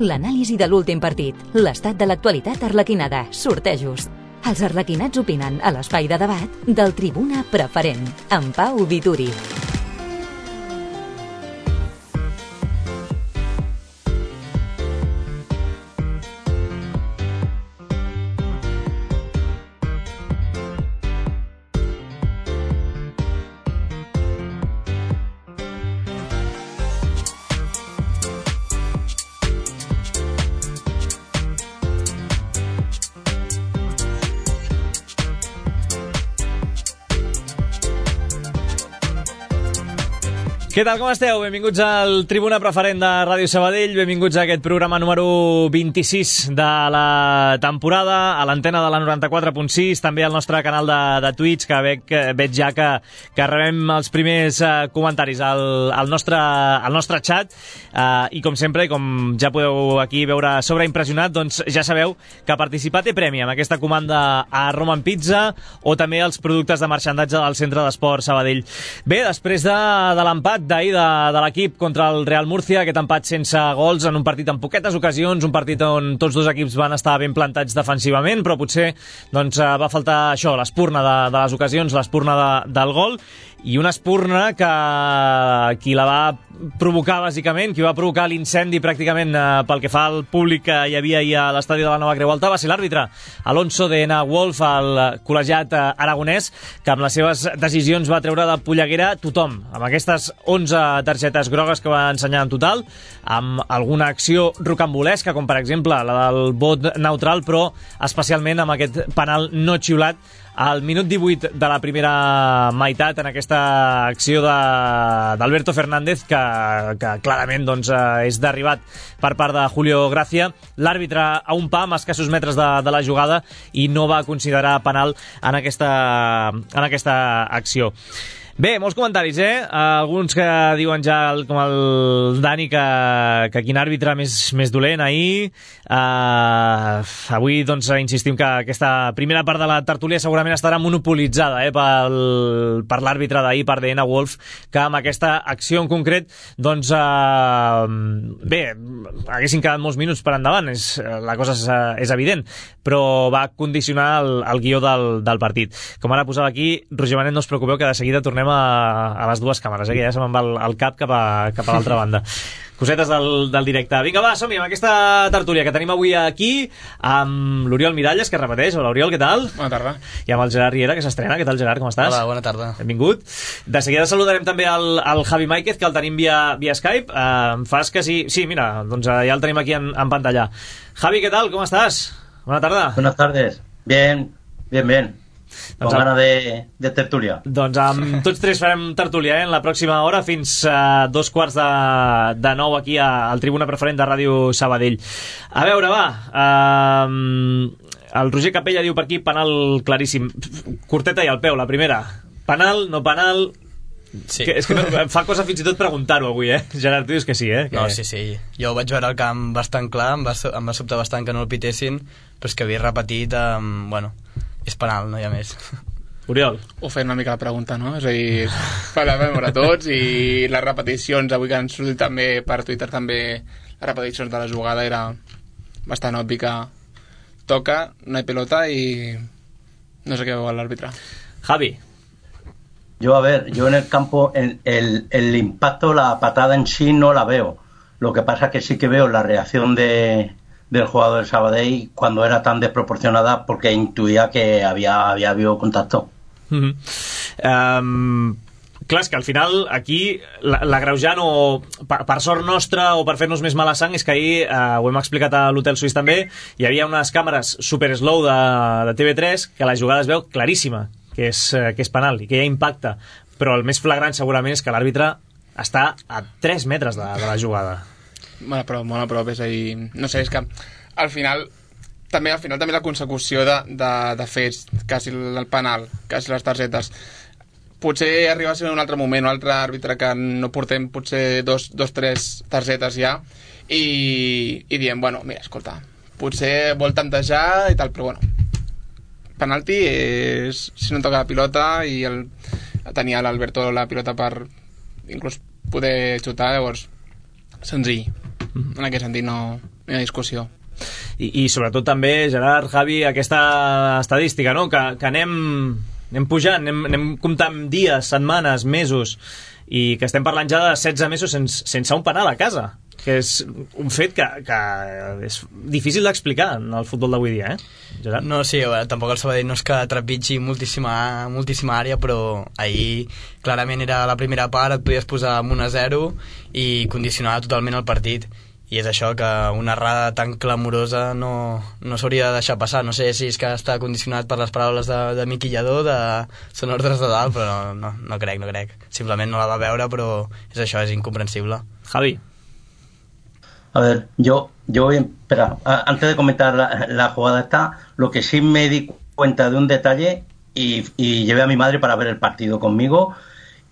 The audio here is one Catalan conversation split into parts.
l'anàlisi de l'últim partit, l'estat de l'actualitat arlequinada, sortejos. Els arlequinats opinen a l'espai de debat del Tribuna Preferent, amb Pau Vituri. Què tal, com esteu? Benvinguts al Tribuna Preferent de Ràdio Sabadell, benvinguts a aquest programa número 26 de la temporada, a l'antena de la 94.6, també al nostre canal de Twitch, que veig ja que rebem els primers comentaris al nostre chat, i com sempre, com ja podeu aquí veure sobreimpressionat, doncs ja sabeu que participar té premi amb aquesta comanda a Roman Pizza o també els productes de marxandatge del Centre d'Esport Sabadell. Bé, després de l'empat d'ahir de l'equip contra el Real Murcia, aquest empat sense gols en un partit amb poquetes ocasions, un partit on tots dos equips van estar ben plantats defensivament, però potser doncs, va faltar això, l'espurna de les ocasions, l'espurna del gol, i una espurna que qui la va provocar bàsicament, qui va provocar l'incendi pràcticament pel que fa al públic que hi havia ahir a l'estadi de la Nova Creu Alta, va ser l'àrbitre Alonso de Ena Wolf, el col·legiat aragonès, que amb les seves decisions va treure de polleguera tothom, amb aquestes 11 targetes grogues que va ensenyar en total, amb alguna acció rocambolesca, com per exemple la del vot neutral, però especialment amb aquest penal no xiulat al minut 18 de la primera meitat, en aquesta acció d'Alberto Fernández, que clarament doncs, és derribat per part de Julio Gracia. L'àrbitre a un pam, a escassos metres de la jugada, i no va considerar penal en aquesta acció. Bé, molts comentaris, alguns que diuen ja, com el Dani, que quin àrbitre més dolent ahir. Avui, doncs, insistim que aquesta primera part de la tertúlia segurament estarà monopolitzada per l'àrbitre d'ahir, per Ena Wolf, que amb aquesta acció en concret, doncs, bé, haguessin quedat molts minuts per endavant, la cosa és evident, però va condicionar el guió del partit. Com ara posava aquí, Roger Manet, no us preocupeu, que de seguida tornem a les dues càmeres, que ja se me'n va el cap cap a l'altra banda. Cosetes del directe. Vinga, va, som-hi amb aquesta tertúlia que tenim avui aquí amb l'Oriol Miralles, que repeteix. Hola, Oriol, què tal? Bona tarda. I amb el Gerard Riera, que s'estrena. Què tal, Gerard, com estàs? Hola, bona tarda. Benvingut. De seguida saludarem també el Javi Máiquez, que el tenim via Skype. Em fas que sí. Sí, mira, doncs ja el tenim aquí en pantalla. Javi, què tal? Com estàs? Bona tarda. Buenas tardes. Bien. Con ganas de tertúlia. Doncs amb tots tres farem tertúlia en la pròxima hora, fins a 8:45 aquí al Tribuna Preferent de Ràdio Sabadell. A veure, va, el Roger Capella diu per aquí penal claríssim, curteta i al peu, la primera. Penal, no penal? Sí. És que em fa cosa fins i tot preguntar-ho avui, Gerard, tu dius que sí, No, sí. Jo vaig veure el camp bastant clar, em va sobtar bastant que no el pitessin, però és que havia repetit, bueno, és penal, no hi ha més. Oriol. Ho feia una mica la pregunta, no? És a dir, per la veure tots, i les repeticions, avui que han sortit també per Twitter, també les repeticions de la jugada, era bastant obvi que toca, no hay pelota, i no sé què veu l'àrbitre. Javi. Yo en el campo, el impacto, la patada en sí no la veo. Lo que pasa es que sí que veo la reacción del jugador del Sabadell cuando era tan desproporcionada, porque intuía que había habido contacto. Clar, és que al final aquí l'agreujant, o per sort nostra o per fer-nos més mala sang, és que ahir, ho hem explicat a l'Hotel Suís també, hi havia unes càmeres super slow de TV3 que la jugada es veu claríssima, que és penal i que hi ha impacte, però el més flagrant segurament és que l'àrbitre està a 3 metres de la jugada. Molt a prop, és a dir, no sé, és que al final també la consecució de fets, quasi el penal, quasi les targetes, potser arriba a ser en un altre moment, un altre àrbitre que no portem potser 2-3 targetes ja, i diem, bueno, mira, escolta, potser vol tantejar i tal, però bueno, penalti és si no toca la pilota, i tenia l'Alberto la pilota per inclús poder xutar, llavors senzill. En aquest sentit no hi ha discussió. I sobretot també, Gerard, Javi, aquesta estadística, no? que anem pujant, anem comptant dies, setmanes, mesos, i que estem parlant ja de 16 mesos sense un penal a casa, que és un fet que és difícil d'explicar en el futbol d'avui dia, Gerard? No, sí, tampoc el Sabadell no és que trepitgi moltíssima àrea, però ahir clarament era la primera part, et podies posar amb 1-0 i condicionava totalment el partit, i és això, que una errada tan clamorosa no s'hauria de deixar passar. No sé si és que està condicionat per les paraules de Miqui Lladó, són ordres de dalt, però no crec. Simplement no la va veure, però és això, és incomprensible. Javi. A ver, yo espera, antes de comentar la jugada esta, lo que sí me di cuenta de un detalle y llevé a mi madre para ver el partido conmigo,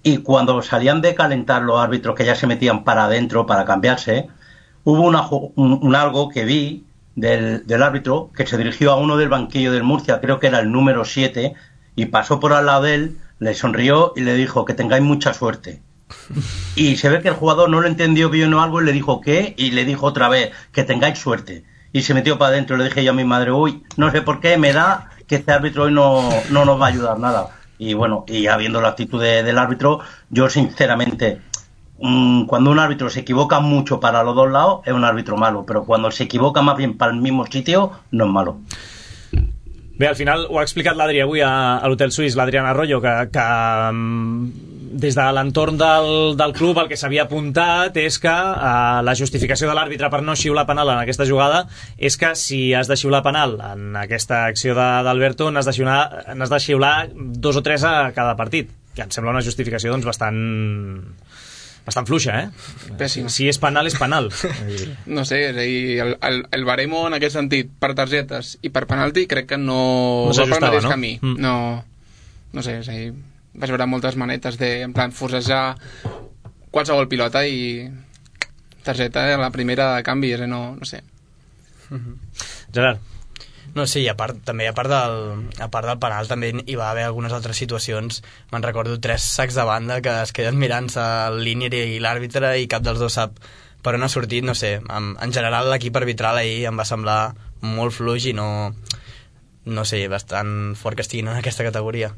y cuando salían de calentar los árbitros que ya se metían para adentro para cambiarse, hubo un algo que vi del árbitro que se dirigió a uno del banquillo del Murcia, creo que era el número 7, y pasó por al lado de él, le sonrió y le dijo que tengáis mucha suerte. Y se ve que el jugador no lo entendió bien o algo y le dijo ¿qué? Y le dijo otra vez que tengáis suerte, y se metió para adentro. Le dije yo a mi madre, uy, no sé por qué me da que este árbitro hoy no nos va a ayudar nada. Y bueno, y habiendo la actitud del árbitro, yo sinceramente, cuando un árbitro se equivoca mucho para los dos lados es un árbitro malo, pero cuando se equivoca más bien para el mismo sitio no es malo. Bé, al final ho ha explicat l'Adri avui a l'Hotel Suís, l'Adrián Arroyo, que des de l'entorn del club el que s'havia apuntat és que la justificació de l'àrbitre per no xiular penal en aquesta jugada és que si has de xiular penal en aquesta acció d'Alberto n'has de xiular 2 o 3 a cada partit, que em sembla una justificació doncs bastant fluixa, Pèssima. Si és penal, és penal. No sé, és a dir, el baremo en aquest sentit, per targetes i per penalti, crec que no va pel mateix camí. No sé, és a dir, vaig veure moltes manetes en plan forcejar qualsevol pilota i targeta a la primera de canvi, no sé. Gerard. No, sí, a part del penal també hi va haver algunes altres situacions. Me'n recordo 3 sacs de banda que es queden mirant-se el línier i l'àrbitre i cap dels dos sap per on ha sortit. No sé, en general l'equip arbitral ahir em va semblar molt fluix i no sé, bastant fort que estiguin en aquesta categoria.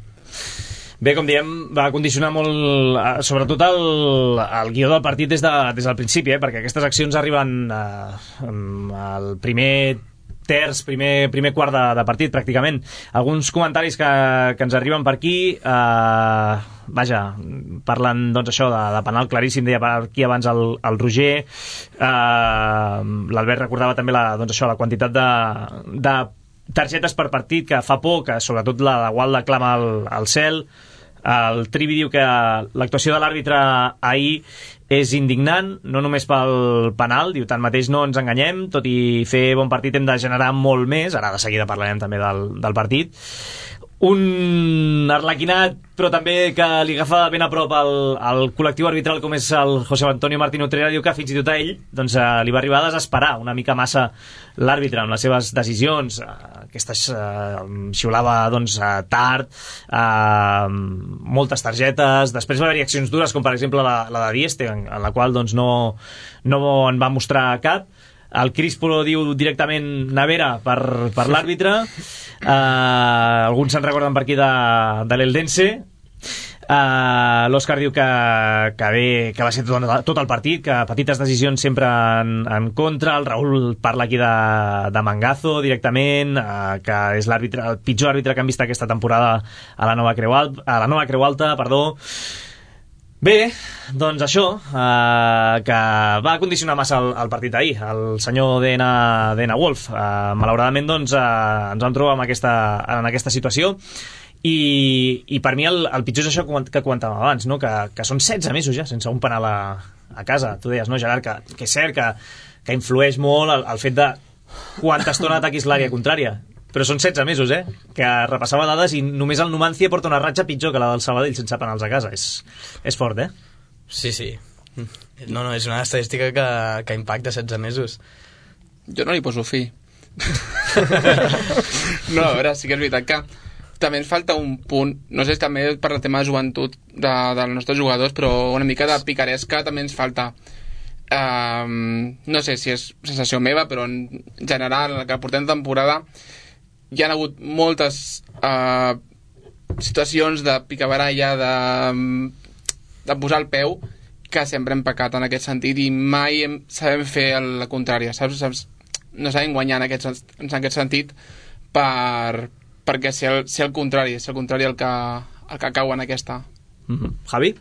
Bé, com diem, va condicionar molt, sobretot el guió del partit des del principi, perquè aquestes accions arriben al primer terç, primer quart de partit, pràcticament. Alguns comentaris que ens arriben per aquí, parlen, doncs, això, de penal claríssim, deia per aquí abans el Roger. L'Albert recordava també la quantitat de targetes per partit que fa por, que sobretot la de Gualda clama al cel. El Trivi diu que l'actuació de l'àrbitre ahir és indignant, no només pel penal, diu, tanmateix no ens enganyem, tot i fer bon partit hem de generar molt més, ara de seguida parlarem també del partit. Un arlequinat, però també que li agafa ben a prop el col·lectiu arbitral com és el José Antonio Martín Utrera, diu que fins i tot a ell doncs, li va arribar a desesperar una mica massa l'àrbitre amb les seves decisions. Aquestes xiulava doncs, tard, moltes targetes, després va haver-hi accions dures com per exemple la de Dieste, en la qual doncs, no en va mostrar cap. El Crispo diu directament nevera per l'àrbitre. Alguns se'n recorden per aquí de l'Eldense. L'Òscar diu que va ser tot el partit, que petites decisions sempre en contra. El Raül parla aquí de Mangazo directament, que és el pitjor àrbitre que han vist aquesta temporada a la nova Creu Alta. Bé, doncs això, que va condicionar massa el partit ahir, el senyor D.N. Wolf. Malauradament, doncs, ens vam trobar en aquesta situació, i per mi el pitjor és això que comentàvem abans, no? Que són 16 mesos ja sense un penal a casa. Tu deies, no, Gerard, que és cert que influeix molt el fet de quanta estona ataquis l'àrea contrària. Però són 16 mesos, que repassava dades i només el Numancia porta una ratxa pitjor que la del Sabadell sense penals a casa. És fort, Sí. No, és una estadística que impacta 16 mesos. Jo no li poso fi. No, a veure, sí que és veritat que també ens falta un punt, no sé, també per el tema de joventut dels nostres jugadors, però una mica de picaresca també ens falta. no sé si és sensació meva, però en general, en el que portem temporada, hi ha hagut moltes situacions de picabaralla, de posar el peu, que sempre hem pecat en aquest sentit i mai sabem fer la contrària, saps? No sabem guanyar en aquest sentit perquè ser el contrari el que cau en aquesta. Javi?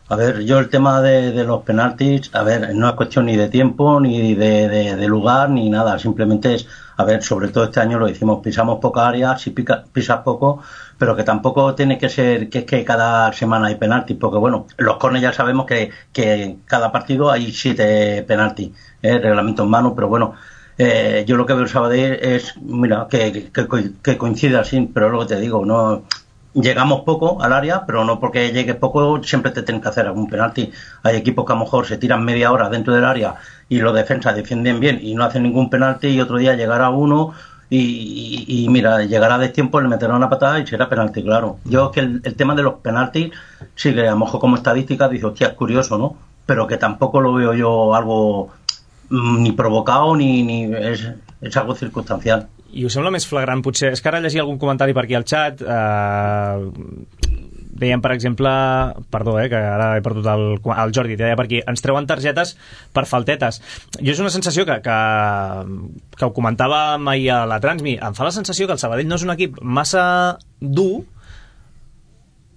A ver, yo el tema de los penaltis, a ver, no es cuestión ni de tiempo, ni de lugar, ni nada. Simplemente es, a ver, sobre todo este año lo hicimos, pisamos poca área, si pisas poco, pero que tampoco tiene que ser que es que cada semana hay penaltis, porque bueno, los córneres ya sabemos que en cada partido hay 7 penaltis, reglamento en mano, pero bueno, yo lo que veo el Sabadell es, mira, que coincide así, pero es lo que te digo, no... Llegamos poco al área, pero no porque llegues poco siempre te tienen que hacer algún penalti. Hay equipos que a lo mejor se tiran media hora dentro del área y los defensas defienden bien y no hacen ningún penalti y otro día llegará uno y mira, llegará a destiempo, le meterá una patada y será penalti, claro. Yo que el tema de los penaltis, sí que a lo mejor como estadística dice, hostia, es curioso, ¿no? Pero que tampoco lo veo yo algo ni provocado ni es algo circunstancial. I us sembla més flagrant, potser, és que ara llegia algun comentari per aquí al xat, deien, per exemple, perdó, que ara he perdut el Jordi, deia per aquí, ens treuen targetes per faltetes. Jo és una sensació que ho comentava ahir a la Transmi, em fa la sensació que el Sabadell no és un equip massa dur,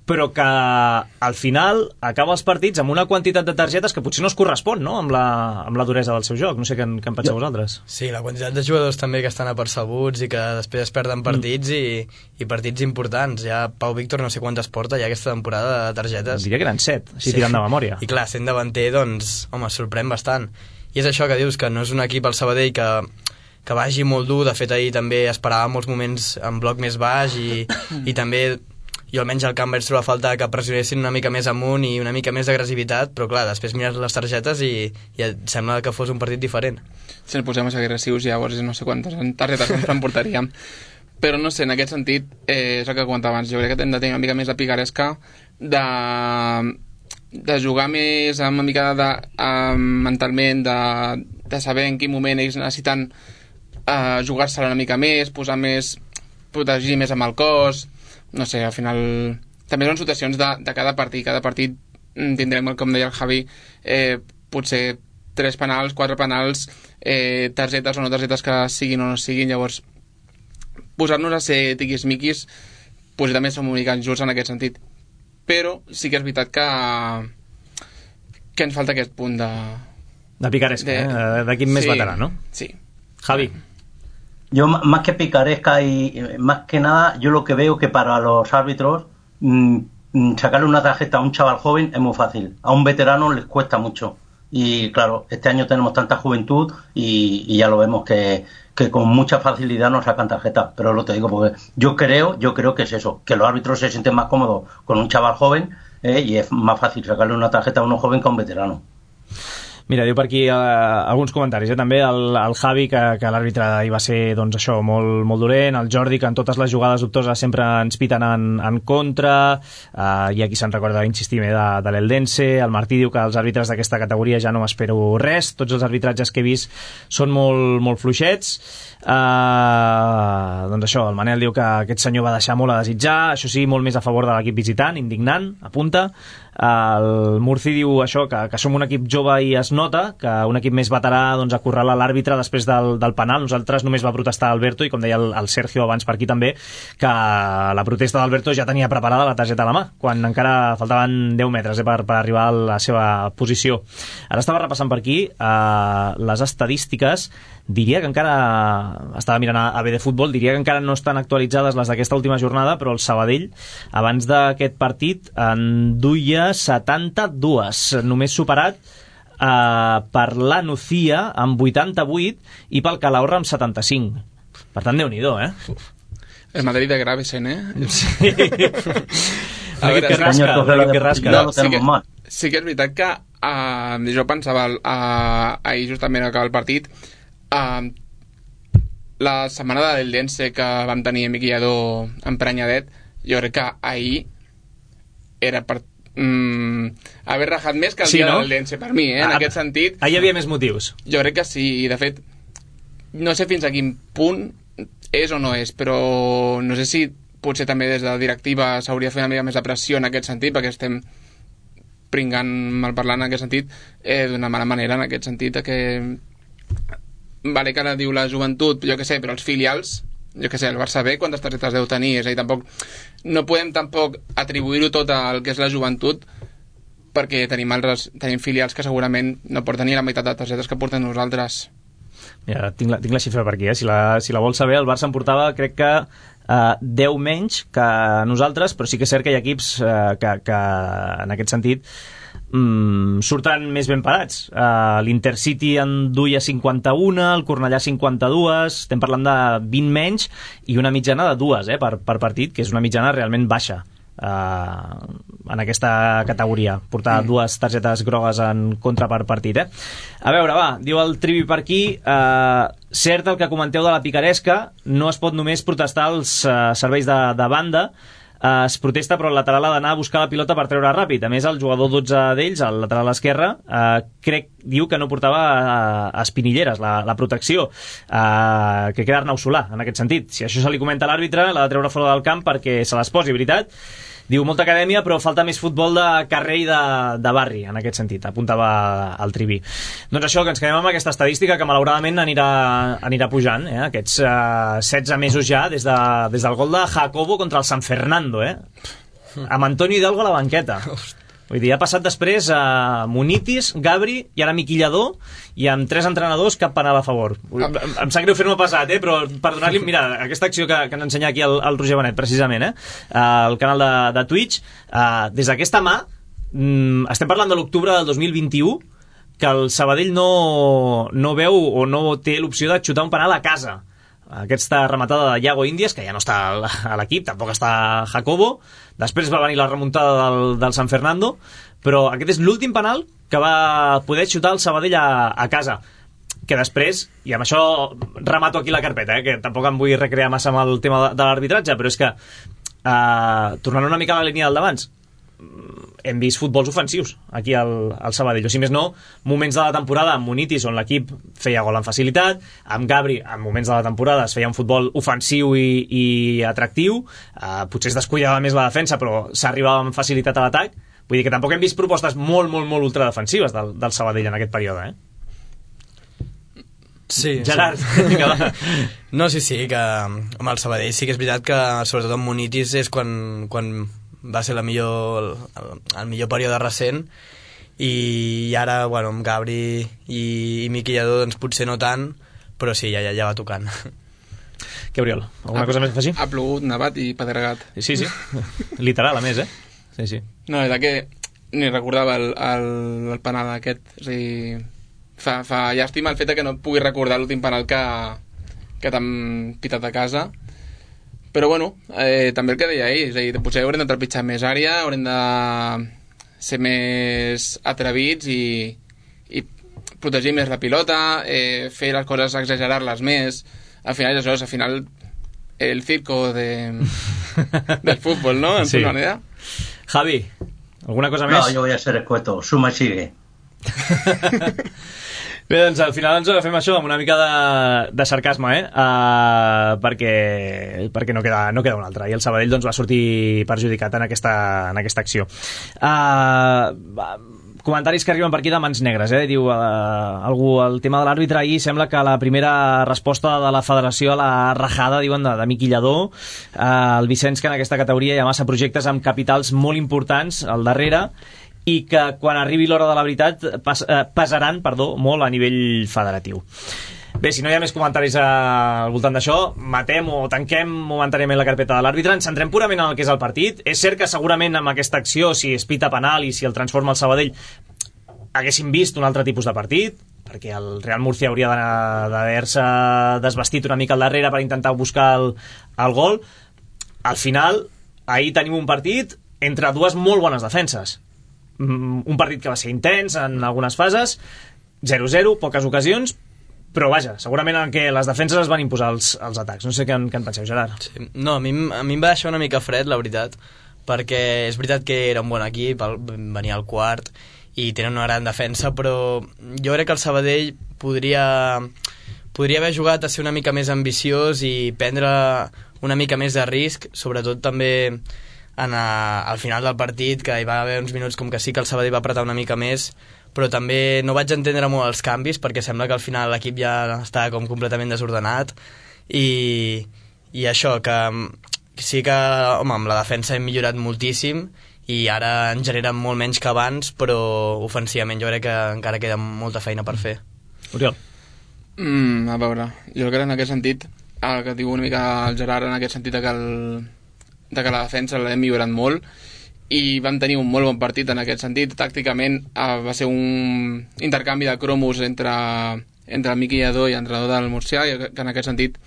però que al final acaba els partits amb una quantitat de targetes que potser no es correspon, no?, amb la duresa del seu joc. No sé què en penseu vosaltres. Sí, la quantitat de jugadors també que estan apercebuts i que després es perden partits i partits importants. Ja Pau Víctor no sé quantes porta ja aquesta temporada de targetes. Diria que eren 7, si tirant de memòria. I clar, sent davanter, doncs, home, sorprèn bastant. I és això que dius, que no és un equip al Sabadell que vagi molt dur. De fet, ahir també esperava molts moments en bloc més baix i també... Jo almenys al camp vaig trobar a falta que pressionessin una mica més amunt i una mica més d'agressivitat, però clar, després mires les targetes i et sembla que fos un partit diferent. Si ens posem a ser agressius, llavors no sé quantes targetes ens emportaríem. Però no sé, en aquest sentit, és el que comentava abans, jo crec que hem de tenir una mica més de picaresca, de jugar més amb una mica mentalment, de saber en quin moment ells necessiten jugar-se-la una mica més, posar més, protegir més amb el cos. No sé, al final també són situacions de cada partit. Cada partit tindrem, com deia el Javi, potser 3 penals, 4 penals, targetes o no targetes que siguin o no siguin. Llavors, posar-nos a ser tiquismiquis potser també som una mica injusts en aquest sentit. Però sí que és veritat que ens falta aquest punt de picaresca, d'equip més veterà, ¿no? Sí. Javi. Yo más que picaresca y más que nada, yo lo que veo que para los árbitros sacarle una tarjeta a un chaval joven es muy fácil. A un veterano les cuesta mucho. Y claro, este año tenemos tanta juventud y ya lo vemos que con mucha facilidad nos sacan tarjetas. Pero lo te digo porque yo creo que es eso, que los árbitros se sienten más cómodos con un chaval joven y es más fácil sacarle una tarjeta a uno joven que a un veterano. Mira, diu per aquí alguns comentaris, també el Javi, que l'àrbitre hi va ser, doncs això, molt dolent, el Jordi, que en totes les jugades dubtoses sempre ens piten en contra, i aquí se'n recorda insistir de l'Eldense, el Martí diu que els àrbitres d'aquesta categoria ja no m'espero res, tots els arbitratges que he vist són molt fluixets. Doncs això, el Manel diu que aquest senyor va deixar molt a desitjar, això sí, molt més a favor de l'equip visitant, indignant, apunta. El Murci diu això, que som un equip jove i es nota, que un equip més veterà doncs, acorrala l'àrbitre després del penal. Nosaltres només va protestar Alberto, i com deia el Sergio abans per aquí també, que la protesta d'Alberto ja tenia preparada la targeta a la mà, quan encara faltaven 10 metres per arribar a la seva posició. Ara estava repassant per aquí les estadístiques. Diria que encara, estava mirant a BD Futbol, diria que encara no estan actualitzades les d'aquesta última jornada, però el Sabadell abans d'aquest partit en duia 72, només superat per la Nucía amb 88 i pel Calahorra amb 75. Per tant, Déu-n'hi-do, El Madrid de Gravesen, Sí. A veure, que rasca. Sí que és veritat que jo pensava ahir justament acabar el partit, la setmana de l'Eldense que vam tenir Amic Guiadó emprenyadet, jo crec que ahir era per haver rajat més que el dia del Lense, per mi, en aquest sentit. Ahir hi havia més motius. Jo crec que sí, i de fet, no sé fins a quin punt és o no és, però no sé si potser també des de la directiva s'hauria de fer una mica més de pressió en aquest sentit, perquè estem pringant malparlant en aquest sentit d'una mala manera, en aquest sentit que vale que ara diu la joventut, jo què sé, però els filials, jo què sé, el Barça B quantes targetes deu tenir, és a dir, no podem tampoc atribuir-ho tot al que és la joventut, perquè tenim filials que segurament no porten ni la meitat de targetes que portem nosaltres. Mira, tinc la xifra per aquí, si la vols saber. El Barça em portava, crec que 10 menys que nosaltres, però sí que és cert que hi ha equips que en aquest sentit surten més ben parats. L'Intercity en duia 51, el Cornellà 52, estem parlant de 20 menys i una mitjana de 2 per partit, que és una mitjana realment baixa en aquesta categoria, portar 2 targetes grogues en contra per partit. A veure, va, diu el Trivi per aquí, cert el que comenteu de la picaresca, no es pot només protestar els serveis de banda, es protesta però el lateral ha d'anar a buscar la pilota per treure ràpid. A més, el jugador 12 d'ells, el lateral esquerre, diu que no portava espinilleres, la protecció, que queda Arnau Solà en aquest sentit. Si això se li comenta a l'àrbitre, l'ha de treure fora del camp perquè se les posi, veritat. Diu, molta acadèmia, però falta més futbol de carrer i de barri, en aquest sentit, apuntava el Trivi. Doncs això, que ens quedem amb aquesta estadística que malauradament anirà pujant, aquests 16 mesos ja, des del gol de Jacobo contra el San Fernando, amb Antonio Hidalgo a la banqueta. Vull dir, ha passat després a Munitis, Gabri i ara Miquillador, i amb 3 entrenadors cap penal a favor. Em sap greu fer-me passat, però per donar-li... Mira, aquesta acció que ens ensenya aquí el Roger Benet, precisament, al canal de Twitch, des d'aquesta mà, estem parlant de l'octubre del 2021, que el Sabadell no veu o no té l'opció de xutar un penal a casa. Aquesta rematada de Iago Índies, que ja no està a l'equip, tampoc està Jacobo. Després va venir la remuntada del San Fernando, però aquest és l'últim penal que va poder xutar el Sabadell a casa. Que després, i amb això remato aquí la carpeta, que tampoc em vull recrear massa amb el tema de l'arbitratge, però és que, tornant una mica a la línia del d'abans, hem vist futbols ofensius aquí al Sabadell, o si més no, moments de la temporada amb Munitis on l'equip feia gol amb facilitat, amb Gabri en moments de la temporada es feia un futbol ofensiu i atractiu, potser es descuidava més la defensa però s'arribava amb facilitat a l'atac. Vull dir que tampoc hem vist propostes molt ultradefensives del Sabadell en aquest període, Sí, Gerard, sí. No, sí, que amb el Sabadell sí que és veritat que sobretot amb Munitis és quan va ser el millor període recent, i ara, bueno, amb Gabri i Miquillador doncs potser no tant, però sí, ja va tocant. Què, Oriol? Alguna cosa més a afegir? Ha plogut, nevat i pedregat. Sí, literal a més, Sí. No, és que ni recordava el penal aquest, és a dir, fa llàstima el fet que no pugui recordar l'últim penal que t'han pitat a casa. Però bueno, també el que deia ell, és a dir, potser haurem de trepitjar més àrea, haurem de ser més atrevits i protegir més la pilota, fer les coses, exagerar-les més. Al final és això, al final el circo del fútbol, ¿no? En sí. Una manera. Javi, ¿alguna cosa més? No, yo voy a ser escueto, suma sigue. Bé, doncs al final ens agafem això amb una mica de sarcasme, perquè no queda un altre, i el Sabadell doncs va sortir perjudicat en aquesta acció. Comentaris que arriben per aquí de mans negres, diu algú, el tema de l'àrbitre ahir sembla que la primera resposta de la federació a la rajada, diuen, de Miquillador, el Vicenç, que en aquesta categoria hi ha massa projectes amb capitals molt importants al darrere, i que quan arribi l'hora de la veritat pesaran molt a nivell federatiu. Bé, si no hi ha més comentaris al voltant d'això, matem o tanquem momentàniament la carpeta de l'àrbitre, ens centrem purament en el que és el partit. És cert que segurament amb aquesta acció, si es pita penal i si el transforma el Sabadell, haguéssim vist un altre tipus de partit, perquè el Real Murcia hauria d'haver-se desvestit una mica al darrere per intentar buscar el gol. Al final, ahir tenim un partit entre dues molt bones defenses. Un partit que va ser intens en algunes fases, 0-0, poques ocasions, però vaja, segurament en què les defenses es van imposar els atacs. No sé què en penseu, Gerard. Sí. No, a mi em va deixar una mica fred, la veritat, perquè és veritat que era un bon equip, venia al quart i tenen una gran defensa, però jo crec que el Sabadell podria haver jugat a ser una mica més ambiciós i prendre una mica més de risc, sobretot també al final del partit, que hi va haver uns minuts com que sí que el Sabadell va apretar una mica més, però també no vaig entendre molt els canvis, perquè sembla que al final l'equip ja estava com completament desordenat, i això, que sí que, home, amb la defensa hem millorat moltíssim, i ara en generen molt menys que abans, però ofensivament jo crec que encara queda molta feina per fer. Oriol. A veure, jo crec que en aquest sentit, el que diu una mica el Gerard, en aquest sentit de que la defensa l'hem millorat molt, i vam tenir un molt bon partit en aquest sentit. Tàcticament va ser un intercanvi de cromos entre el Miqui Lledó i l'entrenador del Murcià, i que en aquest sentit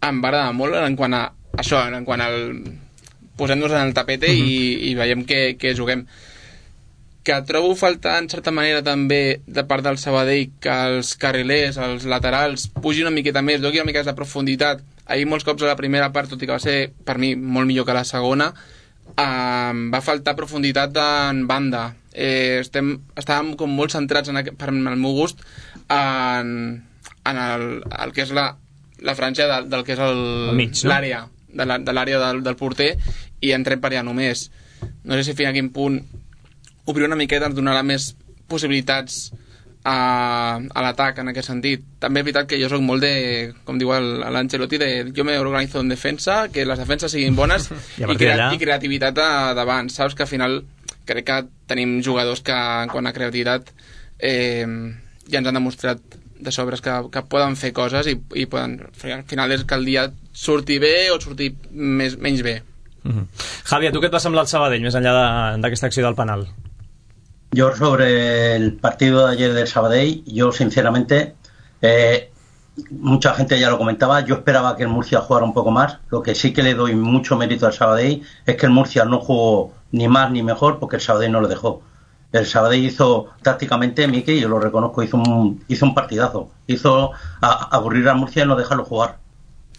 em va agradar molt en quant a això, en quant al posem-nos en el tapete i veiem que juguem. Que trobo faltar en certa manera també de part del Sabadell que els carrilers, els laterals pugin una miqueta més, doni una mica de profunditat. Ahir molts cops a la primera part, tot i que va ser per mi molt millor que la segona, va faltar profunditat en banda. Estàvem com molt centrats per al meu gust en el que és la franja del que és l'àrea, de l'àrea del porter, i entrem per allà només. No sé si fins a quin punt obrir una miqueta ens donarà més possibilitats a l'atac en aquest sentit. També és veritat que jo soc molt de, com diu l'Ancelotti, jo me organizo en defensa, que les defenses siguin bones i creativitat davant, saps? Que al final crec que tenim jugadors que en quant a creativitat ja ens han demostrat de sobres que poden fer coses i poden, al final és que el dia surti bé o surti menys bé. Javi, a tu què et va semblar el Sabadell més enllà d'aquesta acció del penal? Yo sobre el partido de ayer del Sabadell, yo sinceramente, mucha gente ya lo comentaba, yo esperaba que el Murcia jugara un poco más. Lo que sí que le doy mucho mérito al Sabadell es que el Murcia no jugó ni más ni mejor porque el Sabadell no lo dejó. El Sabadell hizo tácticamente, Miqui, yo lo reconozco, hizo un partidazo. Hizo aburrir a Murcia y no dejarlo jugar.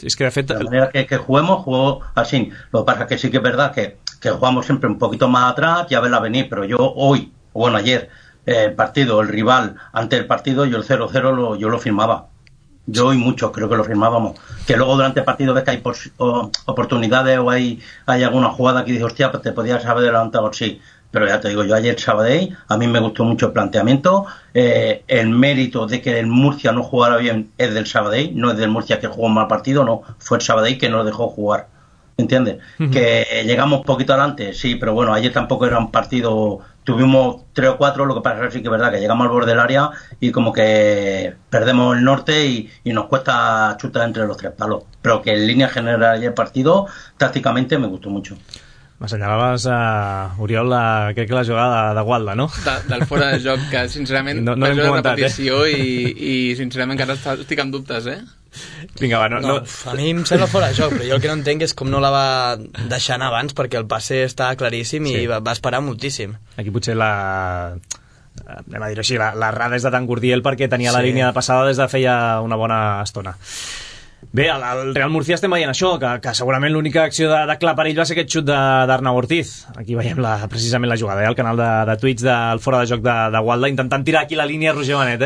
Es que de fet... De la manera que juguemos, jugó así. Lo que pasa es que sí que es verdad que jugamos siempre un poquito más atrás, ya verla venir, pero yo hoy, bueno, ayer, el partido, el rival, ante el partido, yo el 0-0 yo lo firmaba. Yo y muchos creo que lo firmábamos. Que luego durante el partido ves que hay oportunidades o hay alguna jugada que dices, hostia, pues te podías haber adelantado, sí. Pero ya te digo, yo ayer Sabadell, a mí me gustó mucho el planteamiento. El mérito de que el Murcia no jugara bien es del Sabadell, no es del Murcia que jugó un mal partido, no, fue el Sabadell que no lo dejó jugar. ¿Entiendes? Que llegamos poquito adelante, sí, pero bueno, ayer tampoco era un partido, tuvimos 3 o 4, lo que pasa es que sí que es verdad que llegamos al borde del área y como que perdemos el norte y nos cuesta chutar entre los 3 palos, pero que en línea general ayer el partido, tácticamente me gustó mucho. M'assenyalaves, Oriol, crec que la jugada de Gualda, no? Del fora de joc, que sincerament no l'hem comentat, repetició i sincerament encara estic amb dubtes, Vinga, va, no. A mi em sembla fora de joc, però jo el que no entenc és com no la va deixar anar abans, perquè el passe està claríssim i va esperar moltíssim. Aquí potser anem a dir-ho així, l'errada és de Tan Gurdiel perquè tenia la línia de passada des de feia una bona estona. Bé, al Real Murcia estem veient això, que segurament l'única acció de clar per ell va ser aquest xut d'Arnau Ortiz. Aquí veiem precisament la jugada, al canal de Twitch del fora de joc de Gualda, intentant tirar aquí la línia Roger Benet,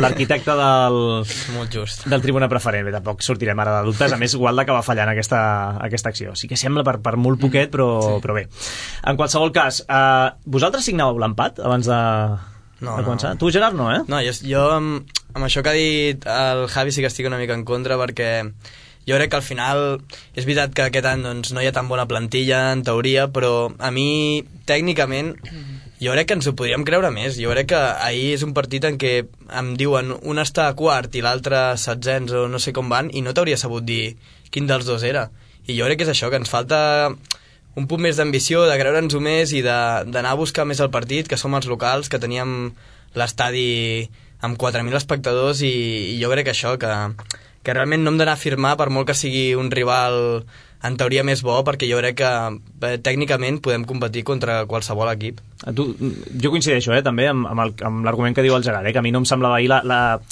l'arquitecte del Tribuna Preferent. Bé, tampoc sortirem ara de dubtes, a més Gualda que va fallar en aquesta acció. Sí que sembla per molt poquet, però bé. En qualsevol cas, vosaltres signàveu l'empat abans de començar? Tu, Gerard, no, No, jo amb això que ha dit el Javi sí que estic una mica en contra, perquè jo crec que al final és veritat que aquest any doncs, no hi ha tan bona plantilla en teoria, però a mi tècnicament jo crec que ens ho podríem creure més. Jo crec que ahir és un partit en què em diuen un està a quart i l'altre setzents o no sé com van i no t'hauria sabut dir quin dels dos era. I jo crec que és això, que ens falta un punt més d'ambició, de creure'ns-ho més i d'anar a buscar més el partit, que som els locals, que teníem l'estadi amb 4.000 espectadors i jo crec que això, que realment no hem d'anar a firmar per molt que sigui un rival en teoria més bo, perquè jo crec que tècnicament podem competir contra qualsevol equip. Jo coincideixo també amb l'argument que diu el Gerard, que a mi no em semblava ahir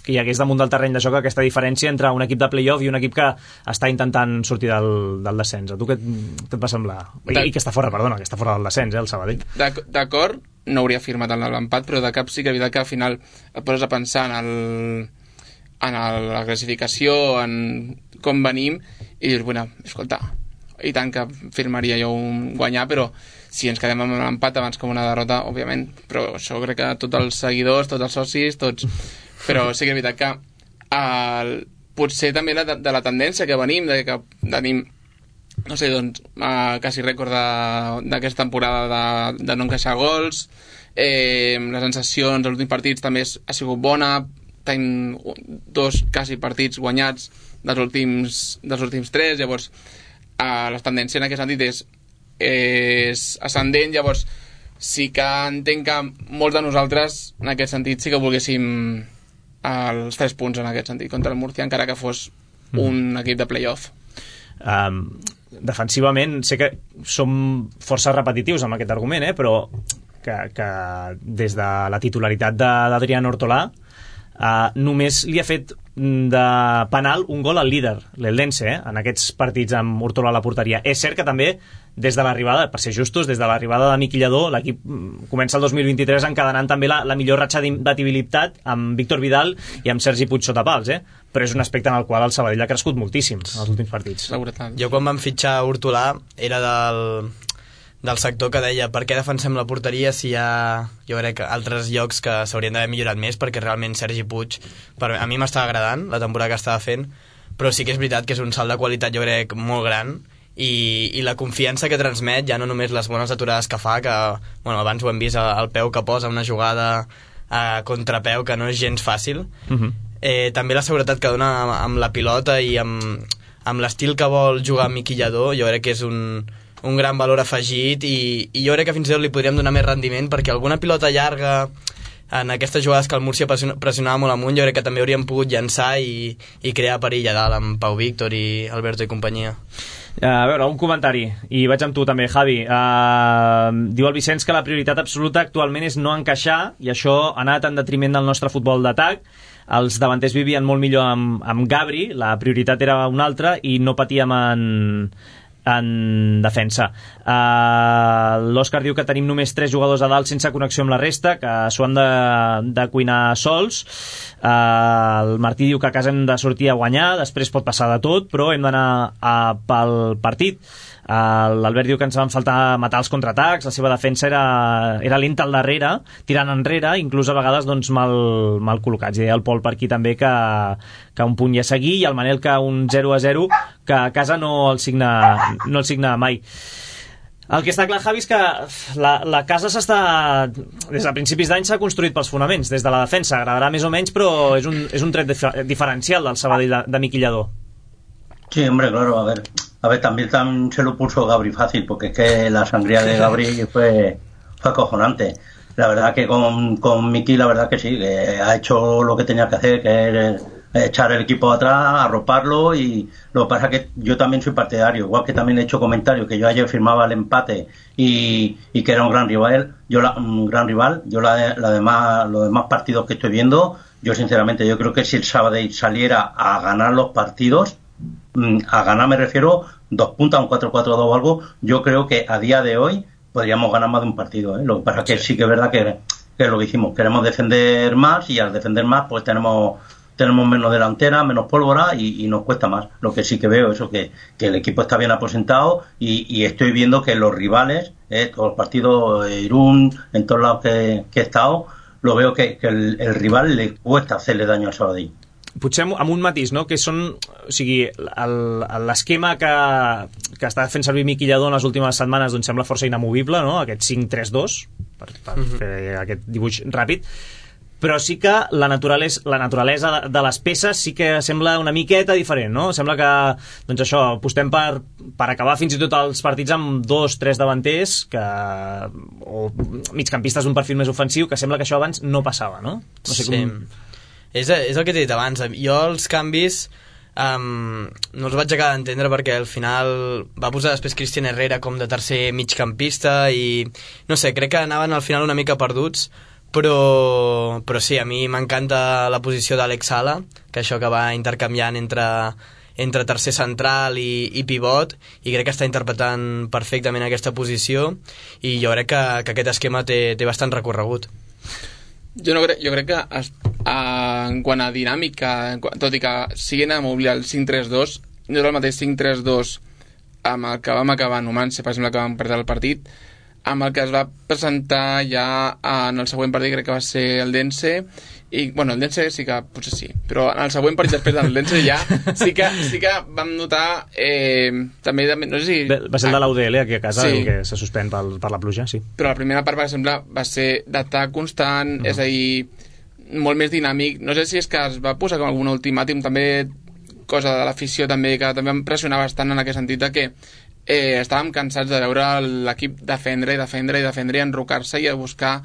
que hi hagués damunt del terreny de joc aquesta diferència entre un equip de play-off i un equip que està intentant sortir del descens. A tu què et va semblar? I que està fora, perdona, que està fora del descens, el Sabadell. D'acord, no hauria firmat en l'empat, però de cap sí que és veritat que al final et poses a pensar en la classificació, en com venim, i dius, bueno, escolta, i tant que firmaria jo un guanyar, però si ens quedem amb l'empat abans com una derrota, òbviament, però això crec que tots els seguidors, tots els socis, tots... Però sí que és veritat que potser també de la tendència que venim, de que tenim, no sé, doncs, quasi rècord d'aquesta temporada de no encaixar gols, les sensacions dels últims partits també ha sigut bona, tenim 2 quasi partits guanyats dels últims 3, llavors la tendència en aquest sentit és ascendent, llavors sí que entenc que molts de nosaltres en aquest sentit sí que volguéssim els 3 punts en aquest sentit contra el Murcia, encara que fos un equip de play-off. Defensivament sé que som força repetitius amb aquest argument, però que des de la titularitat d'Adrián Hortolà només li ha fet de penal un gol al líder, l'Eldense, en aquests partits amb Hortolà a la porteria. És cert que també des de l'arribada, per ser justos, des de l'arribada de Miqui Lladó, l'equip comença el 2023 encadenant també la millor ratxa d'imbatibilitat amb Víctor Vidal i amb Sergi Puig sota pals, però és un aspecte en el qual el Sabadell ha crescut moltíssim en els últims partits. Jo quan vam fitxar Hortolà era del sector que deia per què defensem la porteria si hi ha, jo crec, altres llocs que s'haurien d'haver millorat més, perquè realment Sergi Puig a mi m'estava agradant la temporada que estava fent, però sí que és veritat que és un salt de qualitat, jo crec, molt gran, i la confiança que transmet, ja no només les bones aturades que fa, que bueno, abans ho hem vist, el peu que posa una jugada a contrapeu que no és gens fàcil, també la seguretat que dona amb la pilota i amb l'estil que vol jugar Miqui Lladó, jo crec que és un gran valor afegit, i jo crec que fins i tot li podríem donar més rendiment, perquè alguna pilota llarga en aquestes jugades que el Múrcia pressionava molt amunt, jo crec que també hauríem pogut llançar i crear perill a dalt amb Pau Víctor i Alberto i companyia. A veure, un comentari, i vaig amb tu també, Javi. Diu el Vicenç que la prioritat absoluta actualment és no encaixar, i això ha anat en detriment del nostre futbol d'atac. Els davanters vivien molt millor amb Gabri, la prioritat era una altra, i no patíem en defensa. L'Òscar diu que tenim només 3 jugadors a dalt sense connexió amb la resta, que s'ho han de cuinar sols. El Martí diu que a casa hem de sortir a guanyar, després pot passar de tot, però hem d'anar pel partit. L'Albert diu que ens van faltar matar els contraatacs, la seva defensa era lenta al darrere, tirant enrere, inclús a vegades doncs, mal col·locats. I deia el Pol per aquí també que un punt ja seguir, i el Manel que un 0-0 que a casa no el signa mai. El que està clar, Javi, és que la casa des de principis d'any s'ha construït pels fonaments, des de la defensa. Agradarà més o menys, però és un tret diferencial del Sabadell de Miqui Lladó. Sí, hombre, claro, a ver, también se lo puso Gabri fácil, porque es que la sangría de Gabri fue acojonante. La verdad que con Miqui, la verdad que sí, que ha hecho lo que tenía que hacer, que es echar el equipo atrás, arroparlo, y lo que pasa es que yo también soy partidario, igual que también he hecho comentarios que yo ayer firmaba el empate y que era un gran rival, los demás partidos que estoy viendo, yo sinceramente yo creo que si el Sabadell saliera a ganar los partidos, a ganar me refiero 2 puntos, un 4-4-2 o algo, yo creo que a día de hoy podríamos ganar más de un partido, Lo que pasa es que sí que es verdad que es lo que hicimos, queremos defender más, y al defender más pues tenemos menos delantera, menos pólvora, y nos cuesta más. Lo que sí que veo es que el equipo está bien aposentado, y estoy viendo que los rivales, todos los partidos, Irún, en todos lados que he estado, lo veo que el rival le cuesta hacerle daño al Sabadell. Potser amb un matís, no? Que són, o sigui, l'esquema que està fent servir Miqui Lladó en les últimes setmanes doncs sembla força inamovible, no? Aquest 5-3-2 per fer aquest dibuix ràpid, però sí que la naturalesa de les peces sí que sembla una miqueta diferent, no? Sembla que, doncs això, apostem per acabar fins i tot els partits amb 2-3 davanters o migcampistes d'un perfil més ofensiu, que sembla que això abans no passava, no? No sé com... És el que t'he dit abans. Jo els canvis no els vaig acabar d'entendre perquè al final va posar després Cristian Herrera com de tercer migcampista i no sé, crec que anaven al final una mica perduts, però sí, a mi m'encanta la posició d'Àlex Sala, que això que va intercanviant entre tercer central i pivot, i crec que està interpretant perfectament aquesta posició, i jo crec que aquest esquema té bastant recorregut. Jo crec que en quant a dinàmica, tot i que siguin a moure el 5-3-2, no és el mateix 5-3-2 amb el que vam acabar en Numancia, per exemple, que vam perdre el partit, amb el que es va presentar ja en el següent partit, crec que va ser el Dense, i bueno, el Dense sí que potser sí, però en el següent partit després del Dense ja sí que vam notar també, no sé si... Va ser el de l'UDL aquí a casa, sí, que se suspèn per la pluja, sí. Però la primera part, per exemple, va ser d'atac constant, és a dir, molt més dinàmic. No sé si és que es va posar com algun ultimàtum, també cosa de l'afició també, que també em pressionava bastant en aquest sentit de que estàvem cansats de veure l'equip defendre i enrocar-se i a buscar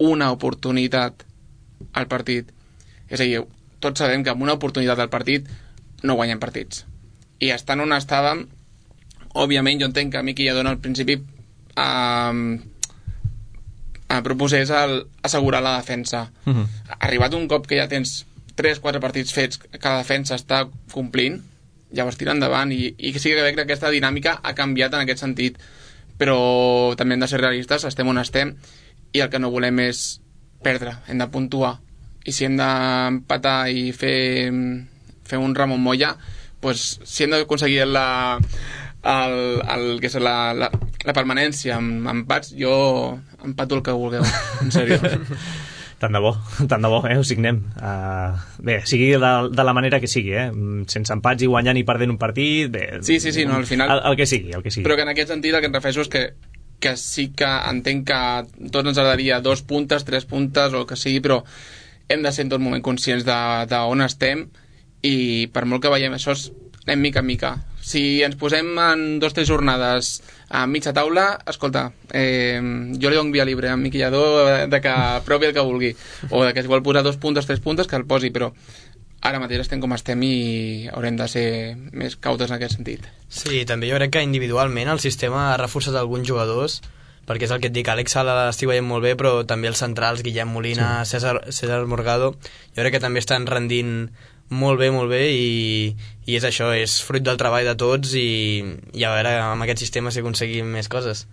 una oportunitat al partit. És a dir, tots sabem que amb una oportunitat al partit no guanyem partits. I estant on estàvem, òbviament jo entenc que Miqui Lladó al principi proposés assegurar la defensa. Arribat un cop que ja tens 3-4 partits fets que la defensa està complint, llavors tira endavant i sí que crec que aquesta dinàmica ha canviat en aquest sentit, però també hem de ser realistes, estem on estem i el que no volem és perdre, hem de puntuar, i si hem d'empatar i fer un Ramon Moya, doncs si hem d'aconseguir la permanència amb empats, jo empato el que vulgueu, en sèrio. Tant de bo, ho signem. Bé, sigui de la manera que sigui, sense empats i guanyant i perdent un partit, bé, sí, no, al final el que sigui. Però que en aquest sentit el que em refereixo és que sí que entenc que tots ens agradaria 2 puntes, 3 puntes o el que sigui, però hem de ser en tot moment conscients d'on estem, i per molt que veiem això anem mica en mica. Si ens posem en 2 o 3 jornades a mitja taula, escolta, jo li dono via libre a Miqui Lladó de que provi el que vulgui, o de que si vol posar 2 puntes, 3 puntes, que el posi, però ara mateix estem com estem i haurem de ser més cautes en aquest sentit. Sí, també jo crec que individualment el sistema ha reforçat alguns jugadors, perquè és el que et dic, Àlex Sala l'estic veient molt bé, però també els centrals, Guillem Molina, sí. César Morgado, jo crec que també estan rendint molt bé i és això, és fruit del treball de tots i a veure amb aquest sistema si aconseguim més coses.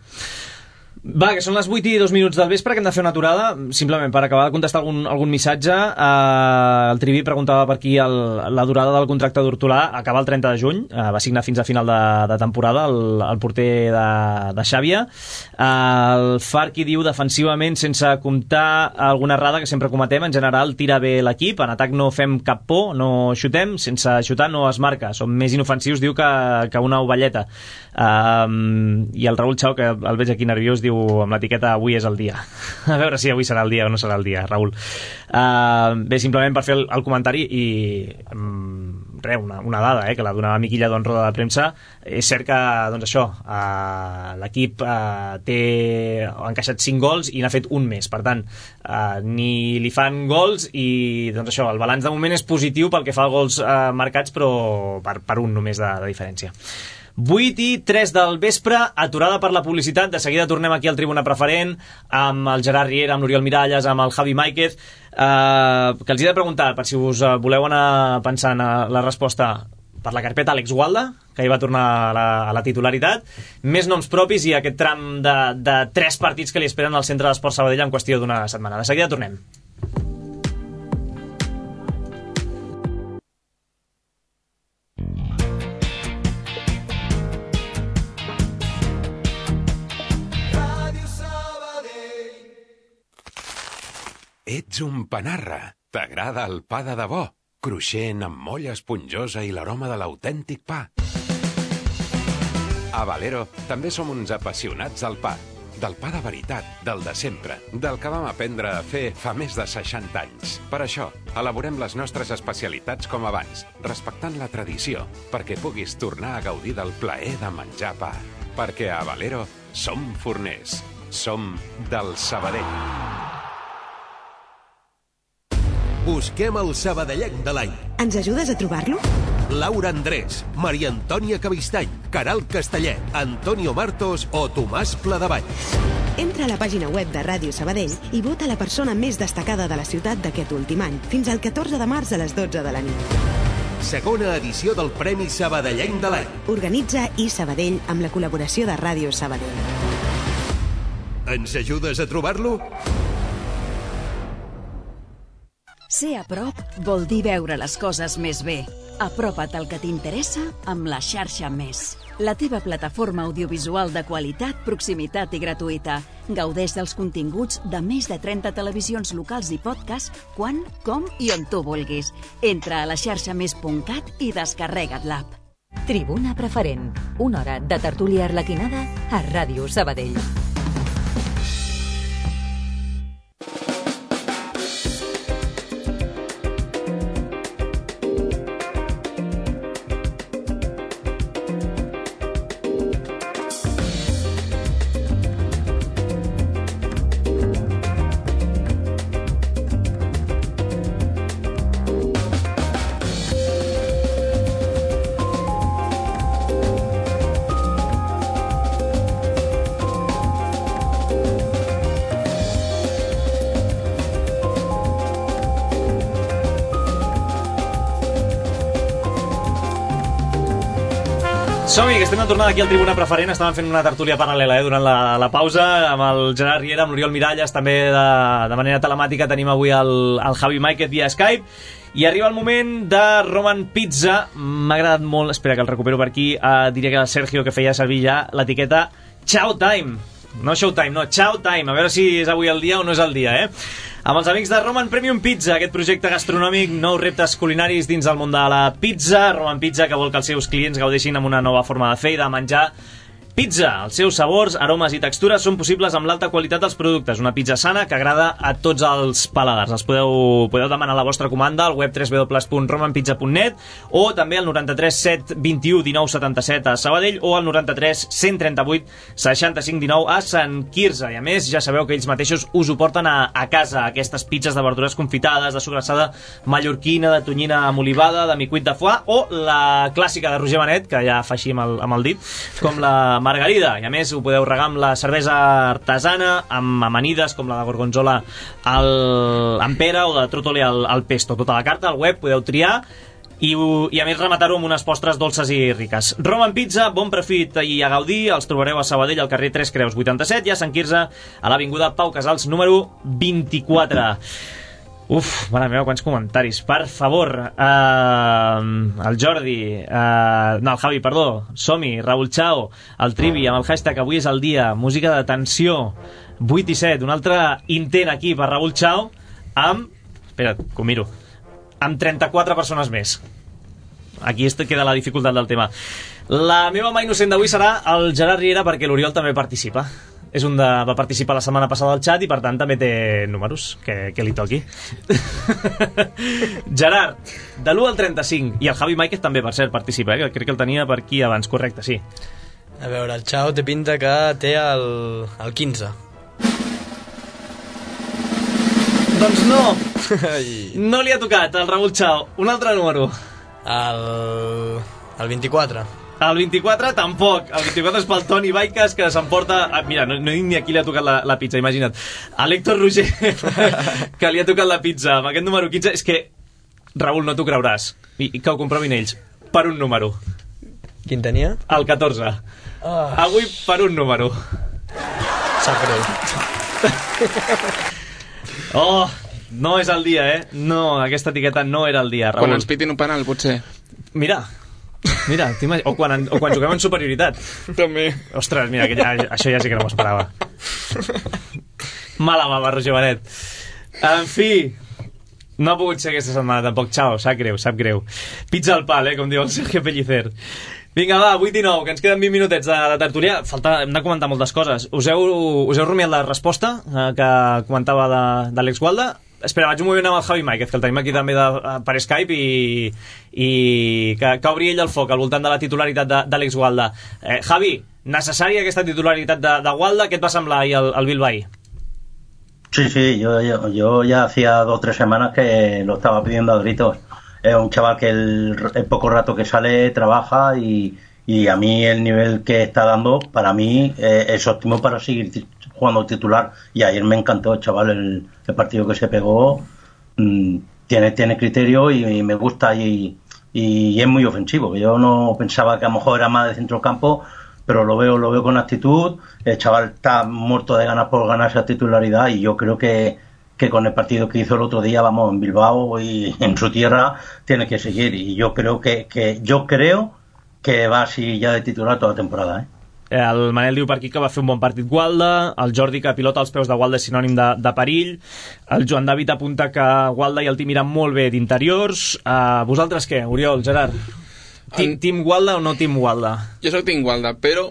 Va, que són les 8 i 2 minuts del vespre, que hem de fer una aturada, simplement per acabar de contestar algun missatge. El Trivi preguntava per aquí la durada del contracte d'Hortolà acaba el 30 de juny, va signar fins a final de temporada el porter de Xàbia. El Farqui diu defensivament, sense comptar alguna errada que sempre cometem, en general tira bé l'equip, en atac no fem cap por, no xutem, sense xutar no es marca, som més inofensius, diu, que una ovelleta. I el Raül Chau, que el veig aquí nerviós, diu amb l'etiqueta avui és el dia. A veure si avui serà el dia o no serà el dia, Raül. Bé, simplement per fer el comentari i una dada que la donava Miqui Lladó en roda de premsa. És cert que doncs això, l'equip ha encaixat 5 gols i n'ha fet un més, per tant ni li fan gols i doncs això, el balanç de moment és positiu pel que fa als gols marcats, però per un només de diferència. 8 i 3 del vespre, aturada per la publicitat. De seguida tornem aquí al Tribuna Preferent amb el Gerard Riera, amb l'Oriol Miralles, amb el Javi Máiquez, que els he de preguntar, per si us voleu anar pensant la resposta, per la carpeta Àlex Gualda, que hi va tornar a la titularitat, més noms propis i aquest tram de 3 partits que li esperen al Centre d'Esports Sabadell en qüestió d'una setmana. De seguida tornem. Ets un panarra. T'agrada el pa de debò, cruixent amb molla esponjosa i l'aroma de l'autèntic pa. A Valero també som uns apassionats del pa. Del pa de veritat, del de sempre, del que vam aprendre a fer fa més de 60 anys. Per això, elaborem les nostres especialitats com abans, respectant la tradició, perquè puguis tornar a gaudir del plaer de menjar pa. Perquè a Valero som forners. Som del Sabadell. Busquem el sabadellenc de l'any. Ens ajudes a trobar-lo? Laura Andrés, Maria Antònia Cabistany, Caral Castellet, Antonio Martos o Tomàs Pladevall. Entra a la pàgina web de Ràdio Sabadell i vota la persona més destacada de la ciutat d'aquest últim any, fins al 14 de març a les 12 de la nit. Segona edició del Premi Sabadellenc de l'any. Organitza iSabadell amb la col·laboració de Ràdio Sabadell. Ens ajudes a trobar-lo? Ser a prop vol dir veure les coses més bé. Apropa't al que t'interessa amb la xarxa Més. La teva plataforma audiovisual de qualitat, proximitat i gratuïta. Gaudeix dels continguts de més de 30 televisions locals i podcast quan, com i on tu vulguis. Entra a la xarxamés.cat i descarrega't l'app. Tribuna Preferent. Una hora de tertúlia arlequinada a Ràdio Sabadell. Som-hi, que estem de tornada aquí al Tribuna Preferent. Estàvem fent una tertúlia paral·lela durant la pausa amb el Gerard Riera, amb l'Oriol Miralles. També de manera telemàtica tenim avui el Javi Máiquez via Skype. I arriba el moment de Roman Pizza. M'ha agradat molt, espera que el recupero per aquí, diria que era el Sergio que feia servir ja l'etiqueta Chow Time. No Showtime, no, Chow Time. A veure si és avui el dia o no és el dia, Amb els amics de Roman Premium Pizza, aquest projecte gastronòmic, nous reptes culinaris dins del món de la pizza. Roman Pizza, que vol que els seus clients gaudeixin amb una nova forma de fer i de menjar pizza. Els seus sabors, aromes i textures són possibles amb l'alta qualitat dels productes. Una pizza sana que agrada a tots els paladars. Els podeu demanar la vostra comanda al web www.romanpizza.net o també al 93 721 19 77 a Sabadell o al 93 138 65 19 a Sant Quirze. I a més, ja sabeu que ells mateixos us ho porten a casa, aquestes pizzas de verdures confitades, de sobrassada mallorquina, de tonyina amb olivada, de micuit de foie o la clàssica de Roger Benet, que ja fa així amb el dit, com la margarida. I a més ho podeu regar amb la cervesa artesana, amb amanides com la de gorgonzola amb pera o de trotole al pesto. Tota la carta al web podeu triar i a més rematar-ho amb unes postres dolces i riques. Roman Pizza, bon profit i a gaudir. Els trobareu a Sabadell al carrer 3 Creus 87 i a Sant Quirze a l'avinguda Pau Casals número 24. Uf, mare meva, quants comentaris. Per favor, el Jordi, no, el Javi, perdó, Som-hi, Raúl Chao, el Trivi, amb el hashtag avui és el dia, música de tensió, 8 i 7, un altre intent aquí per Raúl Chao, amb, espera't, que ho miro, amb 34 persones més. Aquí queda la dificultat del tema. La meva mà innocent d'avui serà el Gerard Riera, perquè l'Oriol també participa. Va participar la setmana passada al xat i per tant també té números que li toqui. Gerard, de l'1 al 35, i el Javi Máiquez també, per cert, participa, que crec que el tenia per aquí abans, correcte, sí. A veure, el Chao té pinta que té el 15. Doncs no, no li ha tocat el Raúl Chao. Un altre número. El 24. El 24 tampoc. El 24 és pel Toni Baiques, que s'emporta... mira, no dic ni a qui li ha tocat la pizza, imagina't. A l'Héctor Roger, que li ha tocat la pizza amb aquest número 15. És que, Raül, no t'ho creuràs. I que ho comprovin ells. Per un número. Quin tenia? El 14. Avui per un número. Sap greu. Oh, no és el dia, No, aquesta etiqueta no era el dia, Raül. Quan ens pitin un penal, potser. Mira, o quan juguem en superioritat. També. Ostres, mira, això ja sí que no m'ho esperava. Mala bava, Roger Benet. En fi, no ha pogut ser aquesta setmana tampoc. Xao, sap greu. Pizza al pal, com diu el Sergio Pellicer. Vinga, va, 8 i 9, que ens queden 20 minutets de tertúlia. Hem de comentar moltes coses. Us heu rumiat la resposta que comentava d'Àlex Gualda? Espera, vaig un moment amb el Javi Máiquez, que el tenim aquí també per Skype i que obri ell el foc al voltant de la titularitat d'Àlex Gualda. Javi, necessària aquesta titularitat de Gualda? Què et va semblar ahir el Bilbao? Sí, yo ya hacía 2 o 3 semanas que lo estaba pidiendo a gritos. Es un chaval que el poco rato que sale trabaja y a mí el nivel que está dando, para mí, es óptimo para seguir jugando titular. Y ayer me encantó, chaval, el partido que se pegó. Tiene criterio y me gusta y es muy ofensivo. Yo no pensaba que a lo mejor era más de centrocampo, pero lo veo con actitud. El chaval está muerto de ganas por ganar esa titularidad y yo creo que con el partido que hizo el otro día, vamos, en Bilbao y en su tierra, tiene que seguir. Y yo creo que va así ja de titular tota la temporada, El Manel diu per aquí que va fer un bon partit Gualda, el Jordi que pilota als peus de Gualda és sinònim de perill, el Joan David apunta que Gualda i el Tim iran molt bé d'interiors. Vosaltres què, Oriol, Gerard? Team Gualda o no Team Gualda? Jo soc Team Gualda, però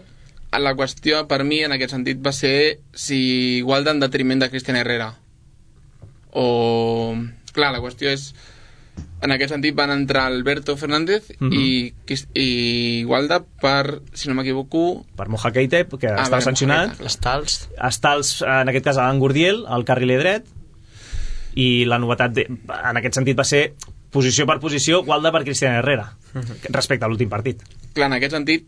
la qüestió per mi en aquest sentit va ser si Gualda en detriment de Cristian Herrera. Clar, la qüestió és, en aquest sentit van entrar Alberto Fernández i Gualda per, si no m'equivoco, per Moja Keita, que estava sancionat, Estals, en aquest cas Alan Gurdiel, al carriler dret, i la novetat en aquest sentit va ser posició per posició Gualda per Cristian Herrera respecte a l'últim partit. Clar, en aquest sentit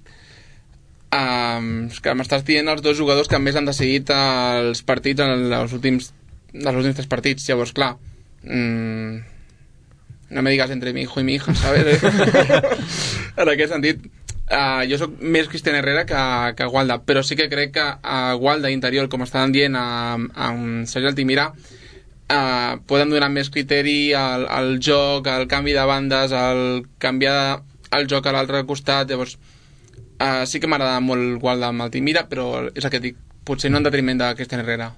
que m'estàs dient els 2 jugadors que més han decidit els partits en els últims 3 partits. Llavors, clar, no me digas entre mi hijo y mi hija, ¿sabes? En aquest sentit, jo soc més Cristian Herrera que Gualda, però sí que crec que a Gualda interior, com estaven dient amb Sergi Altimira, poden donar més criteri al joc, al canvi de bandes, al canviar el joc a l'altre costat. Llavors, sí que m'agrada molt Gualda amb Altimira, però és el que dic, potser no en detriment de Cristian Herrera.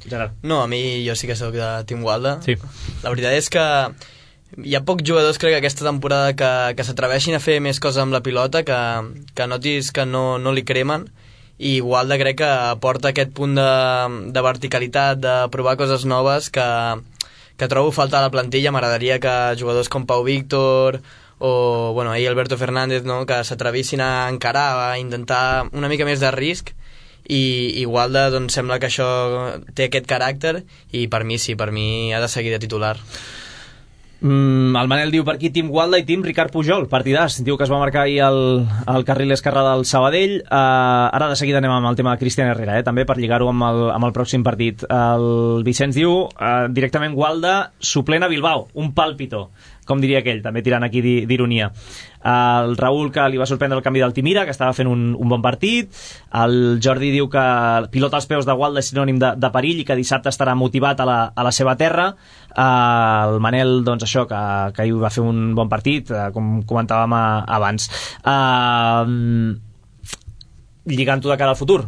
Gerard. No, a mi jo sí que soc de Team Gualda. Sí. La veritat és que hi ha pocs jugadors, crec, aquesta temporada que s'atreveixin a fer més coses amb la pilota, que notis que no li cremen, i Gualda crec que aporta aquest punt de verticalitat, de provar coses noves que trobo falta a la plantilla. M'agradaria que jugadors com Pau Víctor o bueno, ahir Alberto Fernández, no?, que s'atrevissin a encarar, a intentar una mica més de risc, i Gualda doncs sembla que això té aquest caràcter i per mi sí, per mi ha de seguir de titular. El Manel diu per aquí Team Gualda i Team Ricard Pujol, partidàs, diu que es va marcar ahir el carril esquerre del Sabadell. Ara de seguida anem amb el tema de Cristian Herrera, també per lligar-ho amb el pròxim partit. El Vicenç diu directament Gualda suplent a Bilbao, un pàlpito, com diria aquell, també tirant aquí d'ironia. El Raül, que li va sorprendre el canvi d'Altimira, que estava fent un bon partit. El Jordi diu que pilota als peus de Gualda és sinònim de perill i que dissabte estarà motivat a la seva terra. El Manel, doncs això, que ahir va fer un bon partit, com comentàvem abans. Lligant-ho de cara al futur,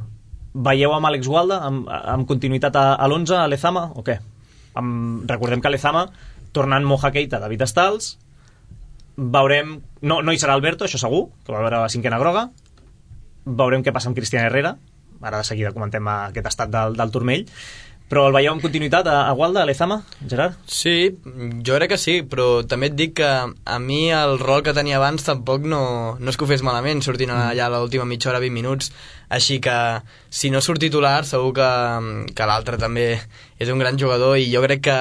veieu amb Àlex Gualda amb continuïtat a l'11 a Lezama o què? Recordem que Lezama, tornant Moja Keita, David Estals, veurem, no hi serà Alberto, això segur, que va veure la cinquena groga, veurem què passa amb Cristian Herrera, ara de seguida comentem aquest estat del turmell, però el veieu amb continuïtat a Gualda, a Lezama, Gerard? Sí, jo crec que sí, però també et dic que a mi el rol que tenia abans tampoc no és que ho fes malament, sortint allà a l'última mitja hora, 20 minuts, així que si no surt titular segur que l'altre també és un gran jugador, i jo crec que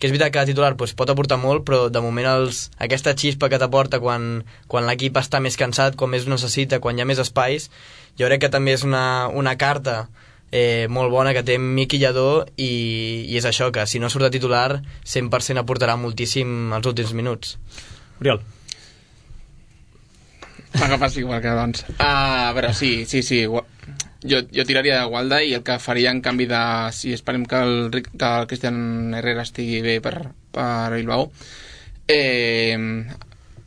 és veritat que titular pot aportar molt, però de moment aquesta xispa que t'aporta quan l'equip està més cansat, quan més ho necessita, quan hi ha més espais, jo crec que també és una carta molt bona que té Miqui Lladó, i és això, que si no surt de titular 100% aportarà moltíssim els últims minuts. Oriol. M'agafes igual que abans. A veure, sí. Jo tiraria de Gualda, i el que faria en canvi de... Si esperem que el Cristian Herrera estigui bé per Bilbao,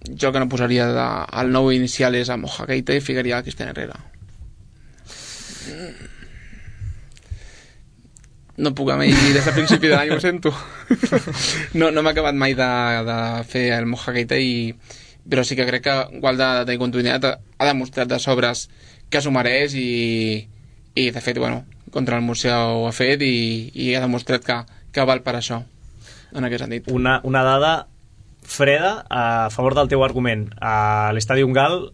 jo que no posaria el nou inicial és a Moja Keita i ficaria a Cristian Herrera. No puc amb ell des del principi de l'any, ho sento. No m'ha acabat mai de fer el Moja Keita, però sí que crec que Gualda ha de tenir continuïtat, ha demostrat de sobres que s'ho mereix, i de fet, bueno, contra el Murcia ho ha fet, i ha demostrat que val per això, en aquest sentit. Una dada freda a favor del teu argument. A l'Estadi Ungal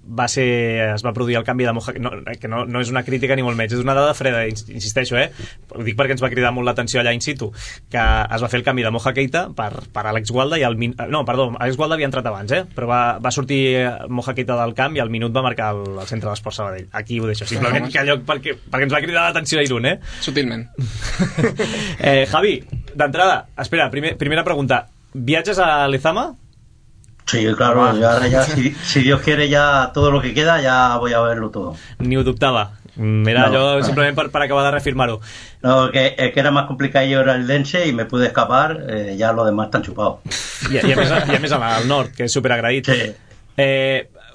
es va produir el canvi de Moja, que no és una crítica ni molt menys, és una dada freda, insisteixo, ho dic perquè ens va cridar molt l'atenció allà in situ, que es va fer el canvi de Moja Keita per Àlex Gualda i Àlex Gualda havia entrat abans, però va sortir Moja Keita del camp i al minut va marcar el centre d'Esport Sabadell. Aquí ho deixo, simplement que allò perquè ens va cridar l'atenció a Irún, Sutilment. Javi, d'entrada, espera, primera pregunta, ¿viatges a Lezama? Sí, claro, ya si Dios quiere, ya todo lo que queda, ya voy a verlo todo. Ni ho dubtava. Era yo simplement per acabar de reafirmar-ho. No, que era más complicado, yo era el Dense y me pude escapar, ya los demás están chupados. I a més al nord, que és superagraït. Sí.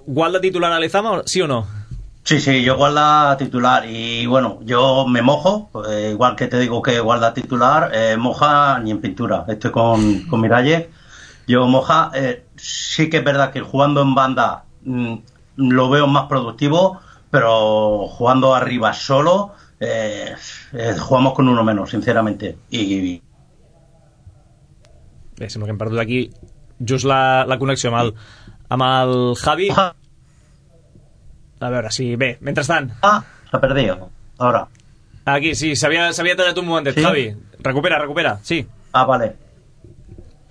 ¿Gualda titular a Lezama, sí o no? Sí, yo Gualda titular y bueno, yo me mojo, igual que te digo que Gualda titular, moja ni en pintura, estoy con Miralles. Yo Moja, sí que es verdad que jugando en banda lo veo más productivo, pero jugando arriba solo jugamos con uno menos, sinceramente. I... Bé, sembla que hem perdut aquí just la connexió amb el Javi. A veure, sí, bé, mentrestant. S'ha perdut, ara. Aquí, sí, s'havia tallat un momentet, ¿sí? Javi, recupera, sí. Vale.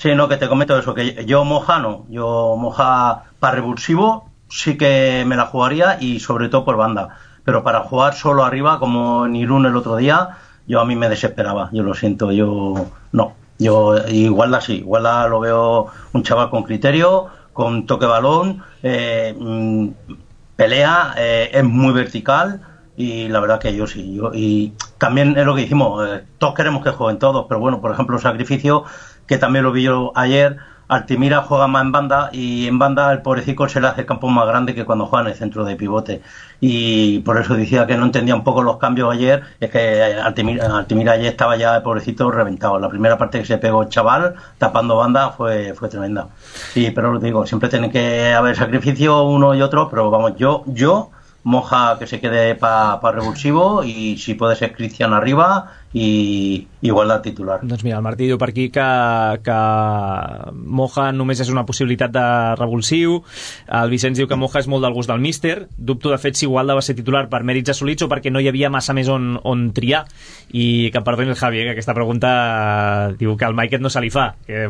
Sí, no, que te comento eso, que yo Moja para revulsivo sí que me la jugaría y sobre todo por banda, pero para jugar solo arriba como en Irún el otro día, yo a mí me desesperaba, yo lo siento, yo Gualda sí, Gualda lo veo un chaval con criterio, con toque balón, pelea, es muy vertical y la verdad que yo sí, y también es lo que dijimos, todos queremos que jueguen todos, pero bueno, por ejemplo, Sacrificio, que también lo vi yo ayer, Altimira juega más en banda y en banda el pobrecito se le hace el campo más grande que cuando juega en el centro de pivote y por eso decía que no entendía un poco los cambios ayer, es que Altimira ayer estaba ya el pobrecito reventado, la primera parte que se pegó el chaval tapando banda fue tremenda, pero lo digo, siempre tiene que haber sacrificio uno y otro, pero vamos, yo Moja que se quede para revulsivo i si puede ser Cristian arriba i Gualda titular. Doncs mira, el Martí diu per aquí que Moja només és una possibilitat de revulsiu, el Vicenç diu que Moja és molt del gust del míster, dubto de fet si Gualda va ser titular per mèrits assolits o perquè no hi havia massa més on triar, i que perdoni el Javi, que aquesta pregunta diu que el Maiket no se li fa, que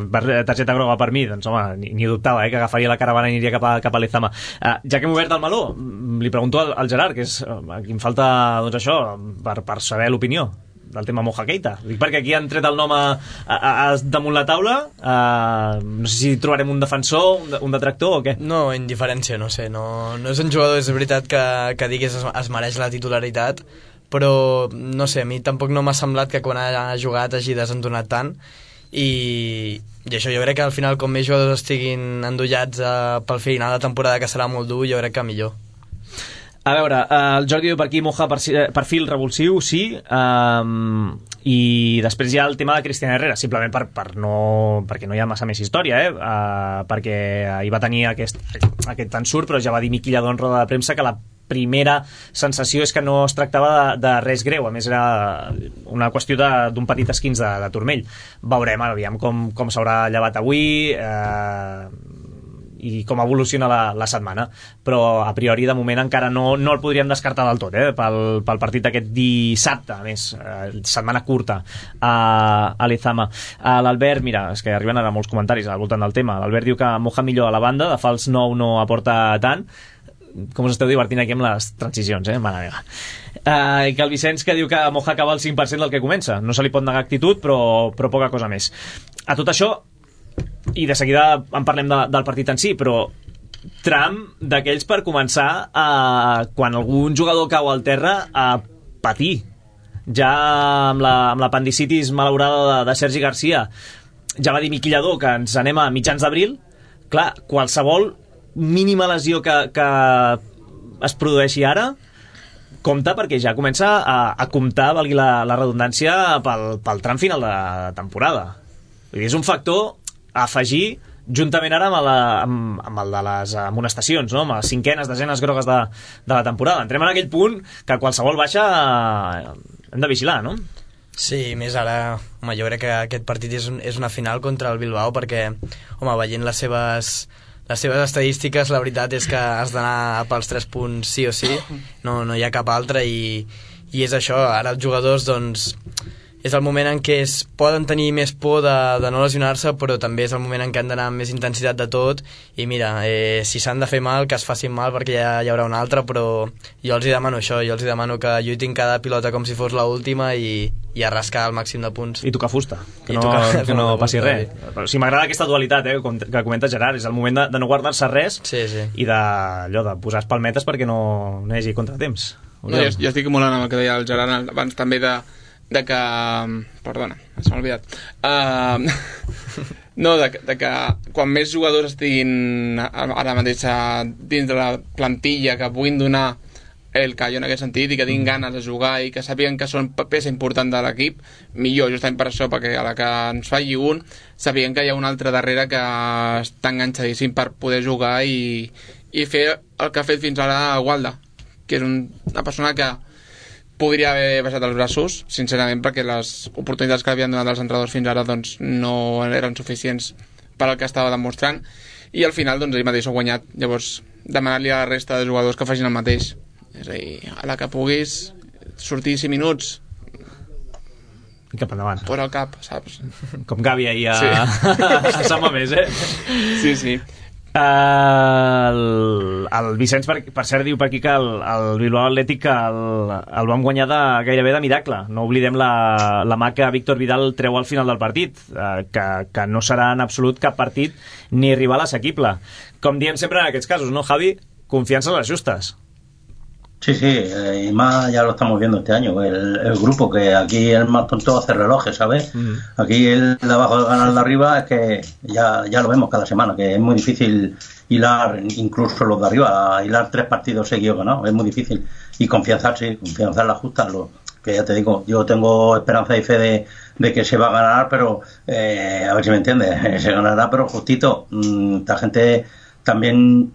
targeta groga per mi, doncs home, ni ho dubtava, que agafaria la caravana i aniria cap a Lezama. Ja que hem obert el meló, li pregunto al Gerard, que és a qui em falta doncs això, per saber l'opinió del tema Moja Keita. Dic perquè aquí han tret el nom damunt la taula, no sé si trobarem un defensor, un detractor o què? No, indiferència, no sé, no és un jugador, és veritat que diguis es mereix la titularitat, però no sé, a mi tampoc no m'ha semblat que quan ha jugat hagi desentonat tant, i això jo crec que al final com més jugadors estiguin endollats pel final de temporada, que serà molt dur, jo crec que millor. A veure, el Jordi diu per aquí Moja perfil revulsiu, sí, i després hi ha el tema de Cristian Herrera, simplement perquè no hi ha massa més història, perquè hi va tenir aquest ensurt, però ja va dir Miqui Lladó en roda de premsa que la primera sensació és que no es tractava de res greu, a més era una qüestió d'un petit esquinç de turmell. Veurem, aviam com s'haurà llevat avui i com evoluciona la setmana, però a priori de moment encara no el podríem descartar del tot pel partit d'aquest dissabte, a més setmana curta a Lezama. L'Albert, mira, és que arriben ara molts comentaris al voltant del tema. L'Albert diu que Moja millor a la banda, de fals 9 no aporta tant. Com us esteu divertint aquí amb les transicions, mare meva. I que el Vicenç, que diu que Moja acaba el 5% del que comença, no se li pot negar actitud, però poca cosa més. A tot això, i de seguida en parlem del partit en si, però tram d'aquells per començar quan algun jugador cau al terra a patir, ja amb l'apendicitis malaurada de Sergi Garcia. Ja va dir Miqui Lladó que ens anem a mitjans d'abril. Clar, qualsevol mínima lesió que es produeixi ara compta, perquè ja comença a comptar, valgui la redundància, pel tram final de temporada. Vull dir, és un factor a afegir juntament ara amb el de les amonestacions, no? Amb les cinquenes, desenes grogues de la temporada. Entrem en aquell punt que qualsevol baixa hem de vigilar, no? Sí, més ara, home, jo crec que aquest partit és una final contra el Bilbao, perquè, home, veient les les seves estadístiques, la veritat és que has d'anar pels 3 punts sí o sí, no hi ha cap altre, i és això. Ara els jugadors, doncs, és el moment en què poden tenir més por de no lesionar-se, però també és el moment en què han d'anar amb més intensitat de tot, i mira, si s'han de fer mal, que es facin mal, perquè ja hi haurà un altre, però jo els hi demano això, jo els hi demano que lluitin cada pilota com si fos l'última i a rascar el màxim de punts. I tocar fusta, que no passi res. Però sí, m'agrada aquesta dualitat, que comenta Gerard, és el moment de no guardar-se res, sí. I de posar espalmetes perquè no hi hagi contratemps. No, jo estic molt amb el que deia el Gerard abans també de que... Perdona, se m'ha oblidat. No, de que quan més jugadors estiguin ara mateix dins de la plantilla, que puguin donar el callo en aquest sentit i que tinguin ganes de jugar i que sàpiguen que són peça important de l'equip, millor, justament per això, perquè a la que ens falli un, sàpiguen que hi ha un altre darrere que està enganxadíssim per poder jugar i fer el que ha fet fins ara Walda, que és una persona que podria haver baixat els braços, sincerament, perquè les oportunitats que havien donat els entrenadors fins ara doncs, no eren suficients per al que estava demostrant, i al final doncs, ell mateix ho ha guanyat. Llavors, demanar-li a la resta de jugadors que facin el mateix. És a dir, a la que puguis sortir 5 minuts i cap endavant. Fora el cap, saps? Com Gavi ahir a Sant Mamés, Sí. El Vicenç, per cert, diu per aquí que el Bilbao Atlètic el vam guanyar gairebé de miracle. No oblidem la mà que Víctor Vidal treu al final del partit, que no serà en absolut cap partit ni rival assequible. Com diem sempre en aquests casos, ¿no, Javi? Confianza en las justas. Sí, y más ya lo estamos viendo este año, el grupo, que aquí el más tonto hace relojes, ¿sabes? Aquí el de abajo gana el de arriba, es que ya lo vemos cada semana, que es muy difícil hilar, incluso los de arriba, hilar 3 partidos seguidos ganados, es muy difícil. Y confianza en la justa, que ya te digo, yo tengo esperanza y fe de que se va a ganar, pero a ver si me entiendes, se ganará, pero justito. Esta gente también...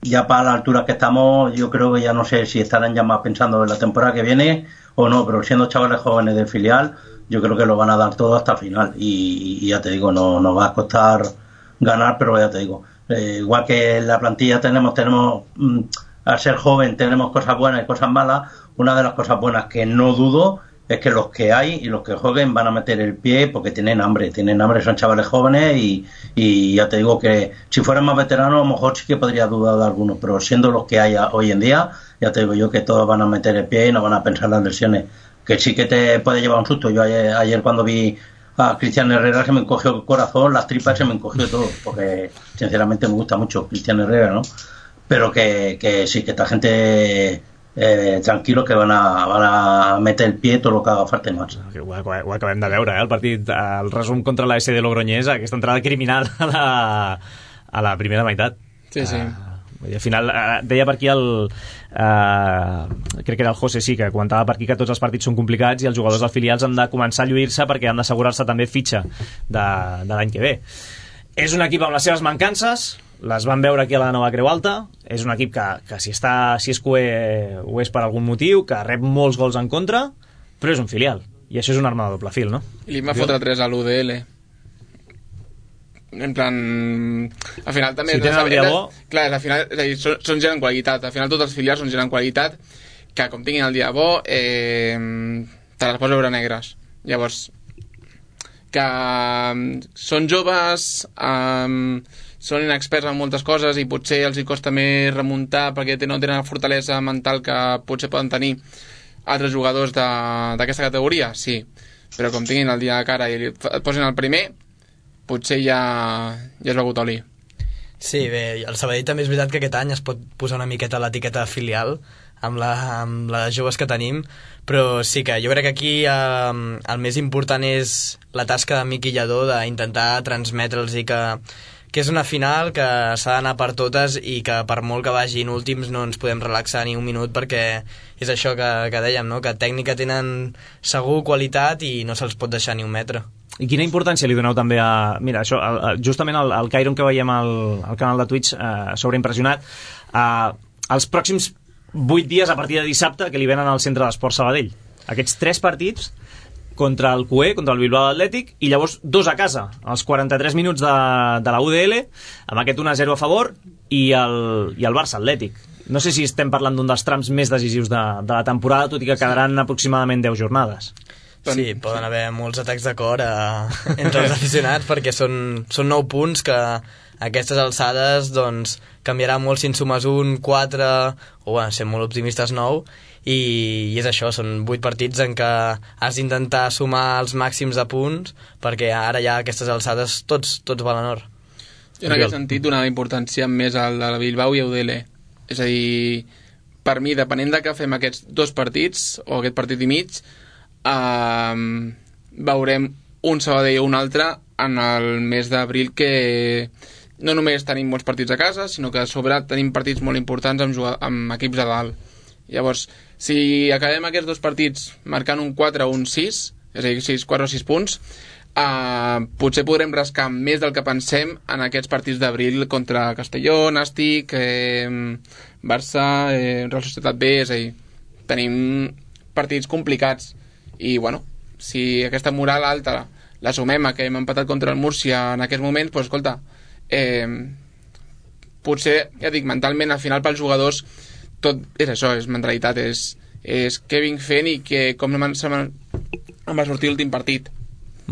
Ya para la altura que estamos, yo creo que ya no sé si estarán ya más pensando en la temporada que viene o no, pero siendo chavales jóvenes del filial, yo creo que lo van a dar todo hasta el final. Y ya te digo, no nos va a costar ganar, pero ya te digo, igual que en la plantilla tenemos al ser joven tenemos cosas buenas y cosas malas. Una de las cosas buenas que no dudo es que los que hay y los que jueguen van a meter el pie porque tienen hambre, son chavales jóvenes y ya te digo que si fueran más veteranos a lo mejor sí que podría dudar de algunos, pero siendo los que hay hoy en día, ya te digo yo que todos van a meter el pie y no van a pensar las lesiones, que sí que te puede llevar un susto. Yo ayer cuando vi a Cristian Herrera se me encogió el corazón, las tripas se me encogió todo, porque sinceramente me gusta mucho Cristian Herrera, ¿no? Pero que sí, que esta gente... tranquil·los, que van a meter el pie tot el que haga falta i més. Ho acabem de veure, el partit, el resum contra la SD Logroñés, aquesta entrada criminal a la primera meitat. Sí. I al final, deia per aquí crec que era el José, sí, que comentava per aquí que tots els partits són complicats i els jugadors dels filials han de començar a lluir-se perquè han d'assegurar-se també fitxa de l'any que ve. És un equip amb les seves mancances, les van veure aquí a la Nova Creu Alta, és un equip que si és cué ho és per algun motiu, que rep molts gols en contra, però és un filial, i això és una arma de doble fil, no? I li va fotre 3 a l'UDL. En plan... Al final també... Si tenen el dia bo... Clar, al final, és a dir, són gent en qualitat. Al final tots els filials són gent en qualitat que, com tinguin el dia bo, te les pots veure negres. Llavors, que són joves... són inexperts en moltes coses i potser els hi costa més remuntar perquè no tenen la fortalesa mental que potser poden tenir altres jugadors d'aquesta categoria, sí, però com tinguin el dia de cara i et posin el primer, potser ja és begut oli. Sí, bé, el Sabadell també és veritat que aquest any es pot posar una miqueta l'etiqueta filial amb les joves que tenim, però sí que jo crec que aquí el més important és la tasca de Miqui Lladó d'intentar transmetre'ls i que és una final que s'ha d'anar per totes i que per molt que vagin últims no ens podem relaxar ni un minut, perquè és això que dèiem, no? Que tècnica tenen segur, qualitat, i no se'ls pot deixar ni un metre. I quina importància li doneu també a... Mira, això, justament el Cairon que veiem al canal de Twitch sobreimpressionat, els pròxims 8 dies a partir de dissabte que li venen al Centre d'Esport Sabadell. Aquests 3 partits contra el QE, contra el Bilbao Atlètic, i llavors 2 a casa, als 43 minuts de la UDL, amb aquest 1-0 a favor, i el Barça Atlètic. No sé si estem parlant d'un dels trams més decisius de la temporada, tot i que quedaran aproximadament 10 jornades. Sí, poden haver molts atacs de cor entre els aficionats, perquè són 9 punts que a aquestes alçades doncs, canviarà molt si en sumes 1, 4 o ser molt optimistes 9, i és això, són 8 partits en què has d'intentar sumar els màxims de punts, perquè ara ja a aquestes alçades tots valen or. Jo en aquest sentit donava importància més al de la Bilbao i a UDL. És a dir, per mi, depenent de què fem aquests 2 partits o aquest partit i mig, veurem un Sabadell o un altre en el mes d'abril, que no només tenim molts partits a casa, sinó que a sobre tenim partits molt importants amb equips de dalt. Llavors, si acabem aquests 2 partits marcant un 4 o un 6, és a dir, 4 o 6 punts, potser podrem rascar més del que pensem en aquests partits d'abril contra Castelló, Nàstic, Barça, Real Societat B. És a dir, tenim partits complicats i, bueno, si aquesta moral alta la sumem a que hem empatat contra el Múrcia en aquests moments, doncs, escolta, potser, ja dic, mentalment, al final pels jugadors tot és això, és mentalitat, és què vinc fent i com em va sortir l'últim partit.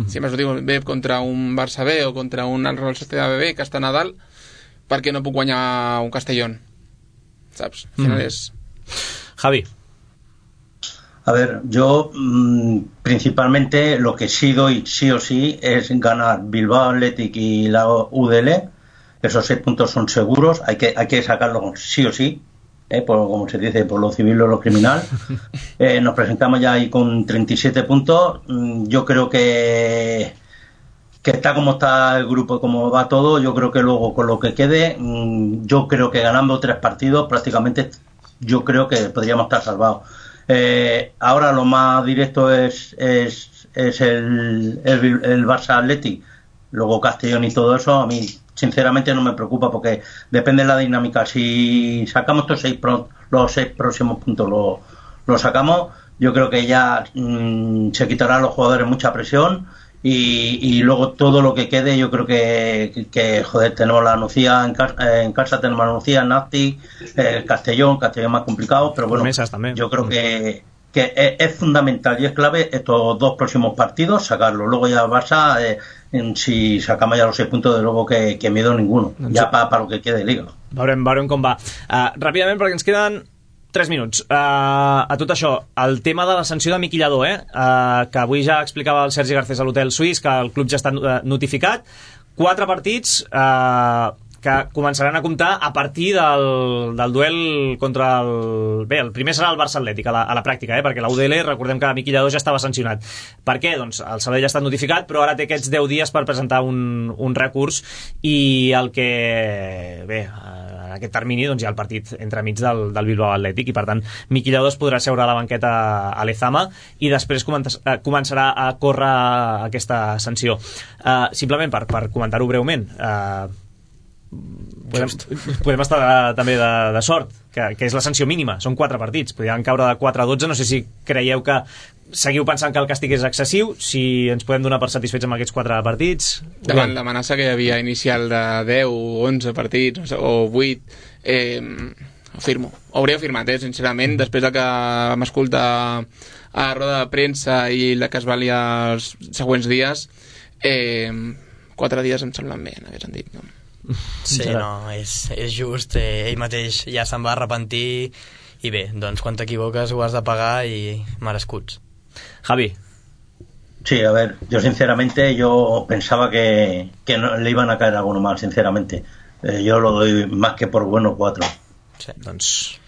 Si em va sortir bé contra un Barça B o contra un Real Societat B que està a Nadal, per què no puc guanyar un Castellón? ¿Sabes? Al final es... Javi. A ver, yo principalmente lo que sí doy sí o sí es ganar Bilbao Athletic y la UDL. Esos 6 puntos son seguros, hay que sacarlos sí o sí, como se dice, por lo civil o lo criminal. Nos presentamos ya ahí con 37 puntos. Yo creo que está como está el grupo, como va todo. Yo creo que luego con lo que quede, yo creo que ganando 3 partidos prácticamente yo creo que podríamos estar salvados. Ahora lo más directo es el Barça Athletic, luego Castellón y todo eso. A mí sinceramente no me preocupa porque depende de la dinámica. Si sacamos los 6 próximos puntos lo sacamos, yo creo que ya se quitará a los jugadores mucha presión y luego todo lo que quede, yo creo que joder, tenemos la Nucía en casa tenemos la Nucía, Nàstic, Castellón más complicado, pero bueno, yo creo que es fundamental y es clave estos 2 próximos partidos sacarlo. Luego ya Barça, si sacamos ya los 6 puntos, de luego que miedo ninguno, ja para lo que quede Liga. Veurem com va. Ràpidament, perquè ens queden 3 minuts. A tot això, el tema de la sanció de Miqui Lladó, que avui ja explicava el Sergi Garcés a l'Hotel Suís, que el club ja està notificat. 4 partits que començaran a comptar a partir del duel contra el... Bé, el primer serà el Barça Atlètic a la pràctica, perquè la UDL, recordem que Miqui Lladó ja estava sancionat. Per què? Doncs el Sabadell ja ha estat notificat, però ara té aquests 10 dies per presentar un recurs, i el que... Bé, en aquest termini doncs, hi ha el partit entremig del Bilbao Atlètic, i per tant Miqui Lladó es podrà seure a la banqueta a l'Ezama i després començarà a córrer aquesta sanció. Simplement per comentar-ho breument, podem estar també de sort, que és la sanció mínima, són 4 partits, podrien caure de 4 a 12. No sé si creieu que seguiu pensant que el càstig és excessiu, si ens podem donar per satisfets amb aquests 4 partits. Davant l'amenaça que hi havia inicial de 10 o 11 partits o 8, hauria firmat, sincerament, després que vam escoltar a la roda de premsa i la que es va liar els següents dies, 4 dies em semblen bé en aquest sentit, no? Sí, no, és just, ell mateix ja se'n va arrepentir i bé, doncs quan t'equivoques ho has de pagar i merescuts. Javi. Sí, a ver, yo sinceramente yo pensaba que no, le iban a caer alguno mal, sinceramente. Yo lo doy más que por bueno 4. Sí, doncs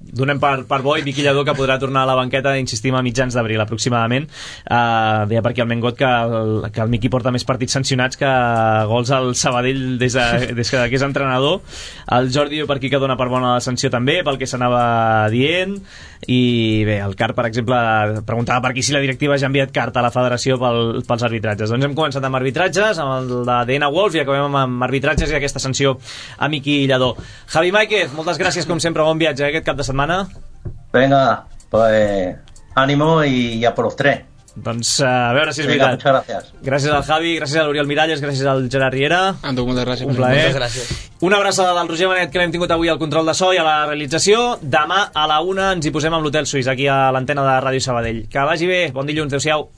donem per bo i Miqui Lladó, que podrà tornar a la banqueta, insistim, a mitjans d'abril aproximadament. Deia per aquí el Mengot que el Miqui porta més partits sancionats que gols al Sabadell des que és entrenador. El Jordi per aquí que dona per bona la sanció també, pel que s'anava dient. I bé, el CAR, per exemple, preguntava per aquí si la directiva ja ha enviat carta a la federació pels arbitratges. Doncs hem començat amb arbitratges, amb el de DNA Wolf, i acabem amb arbitratges i aquesta sanció a Miqui Lladó. Javi Máiquez, moltes gràcies com sempre, bon viatge aquest cap de setmana. Venga, pues ánimo y ya por los 3. Doncs a veure si és veritat. Muchas gracias. Gràcies al Javi, gràcies a l'Oriol Miralles, gràcies al Gerard Riera. Amb tu, moltes gràcies. Un plaer. Moltes gràcies. Una abraçada del Roger Benet, que l'hem tingut avui al control de so i a la realització. Demà a la 1 ens hi posem amb l'Hotel Suís, aquí a l'antena de Ràdio Sabadell. Que vagi bé, bon dilluns, adeu-siau.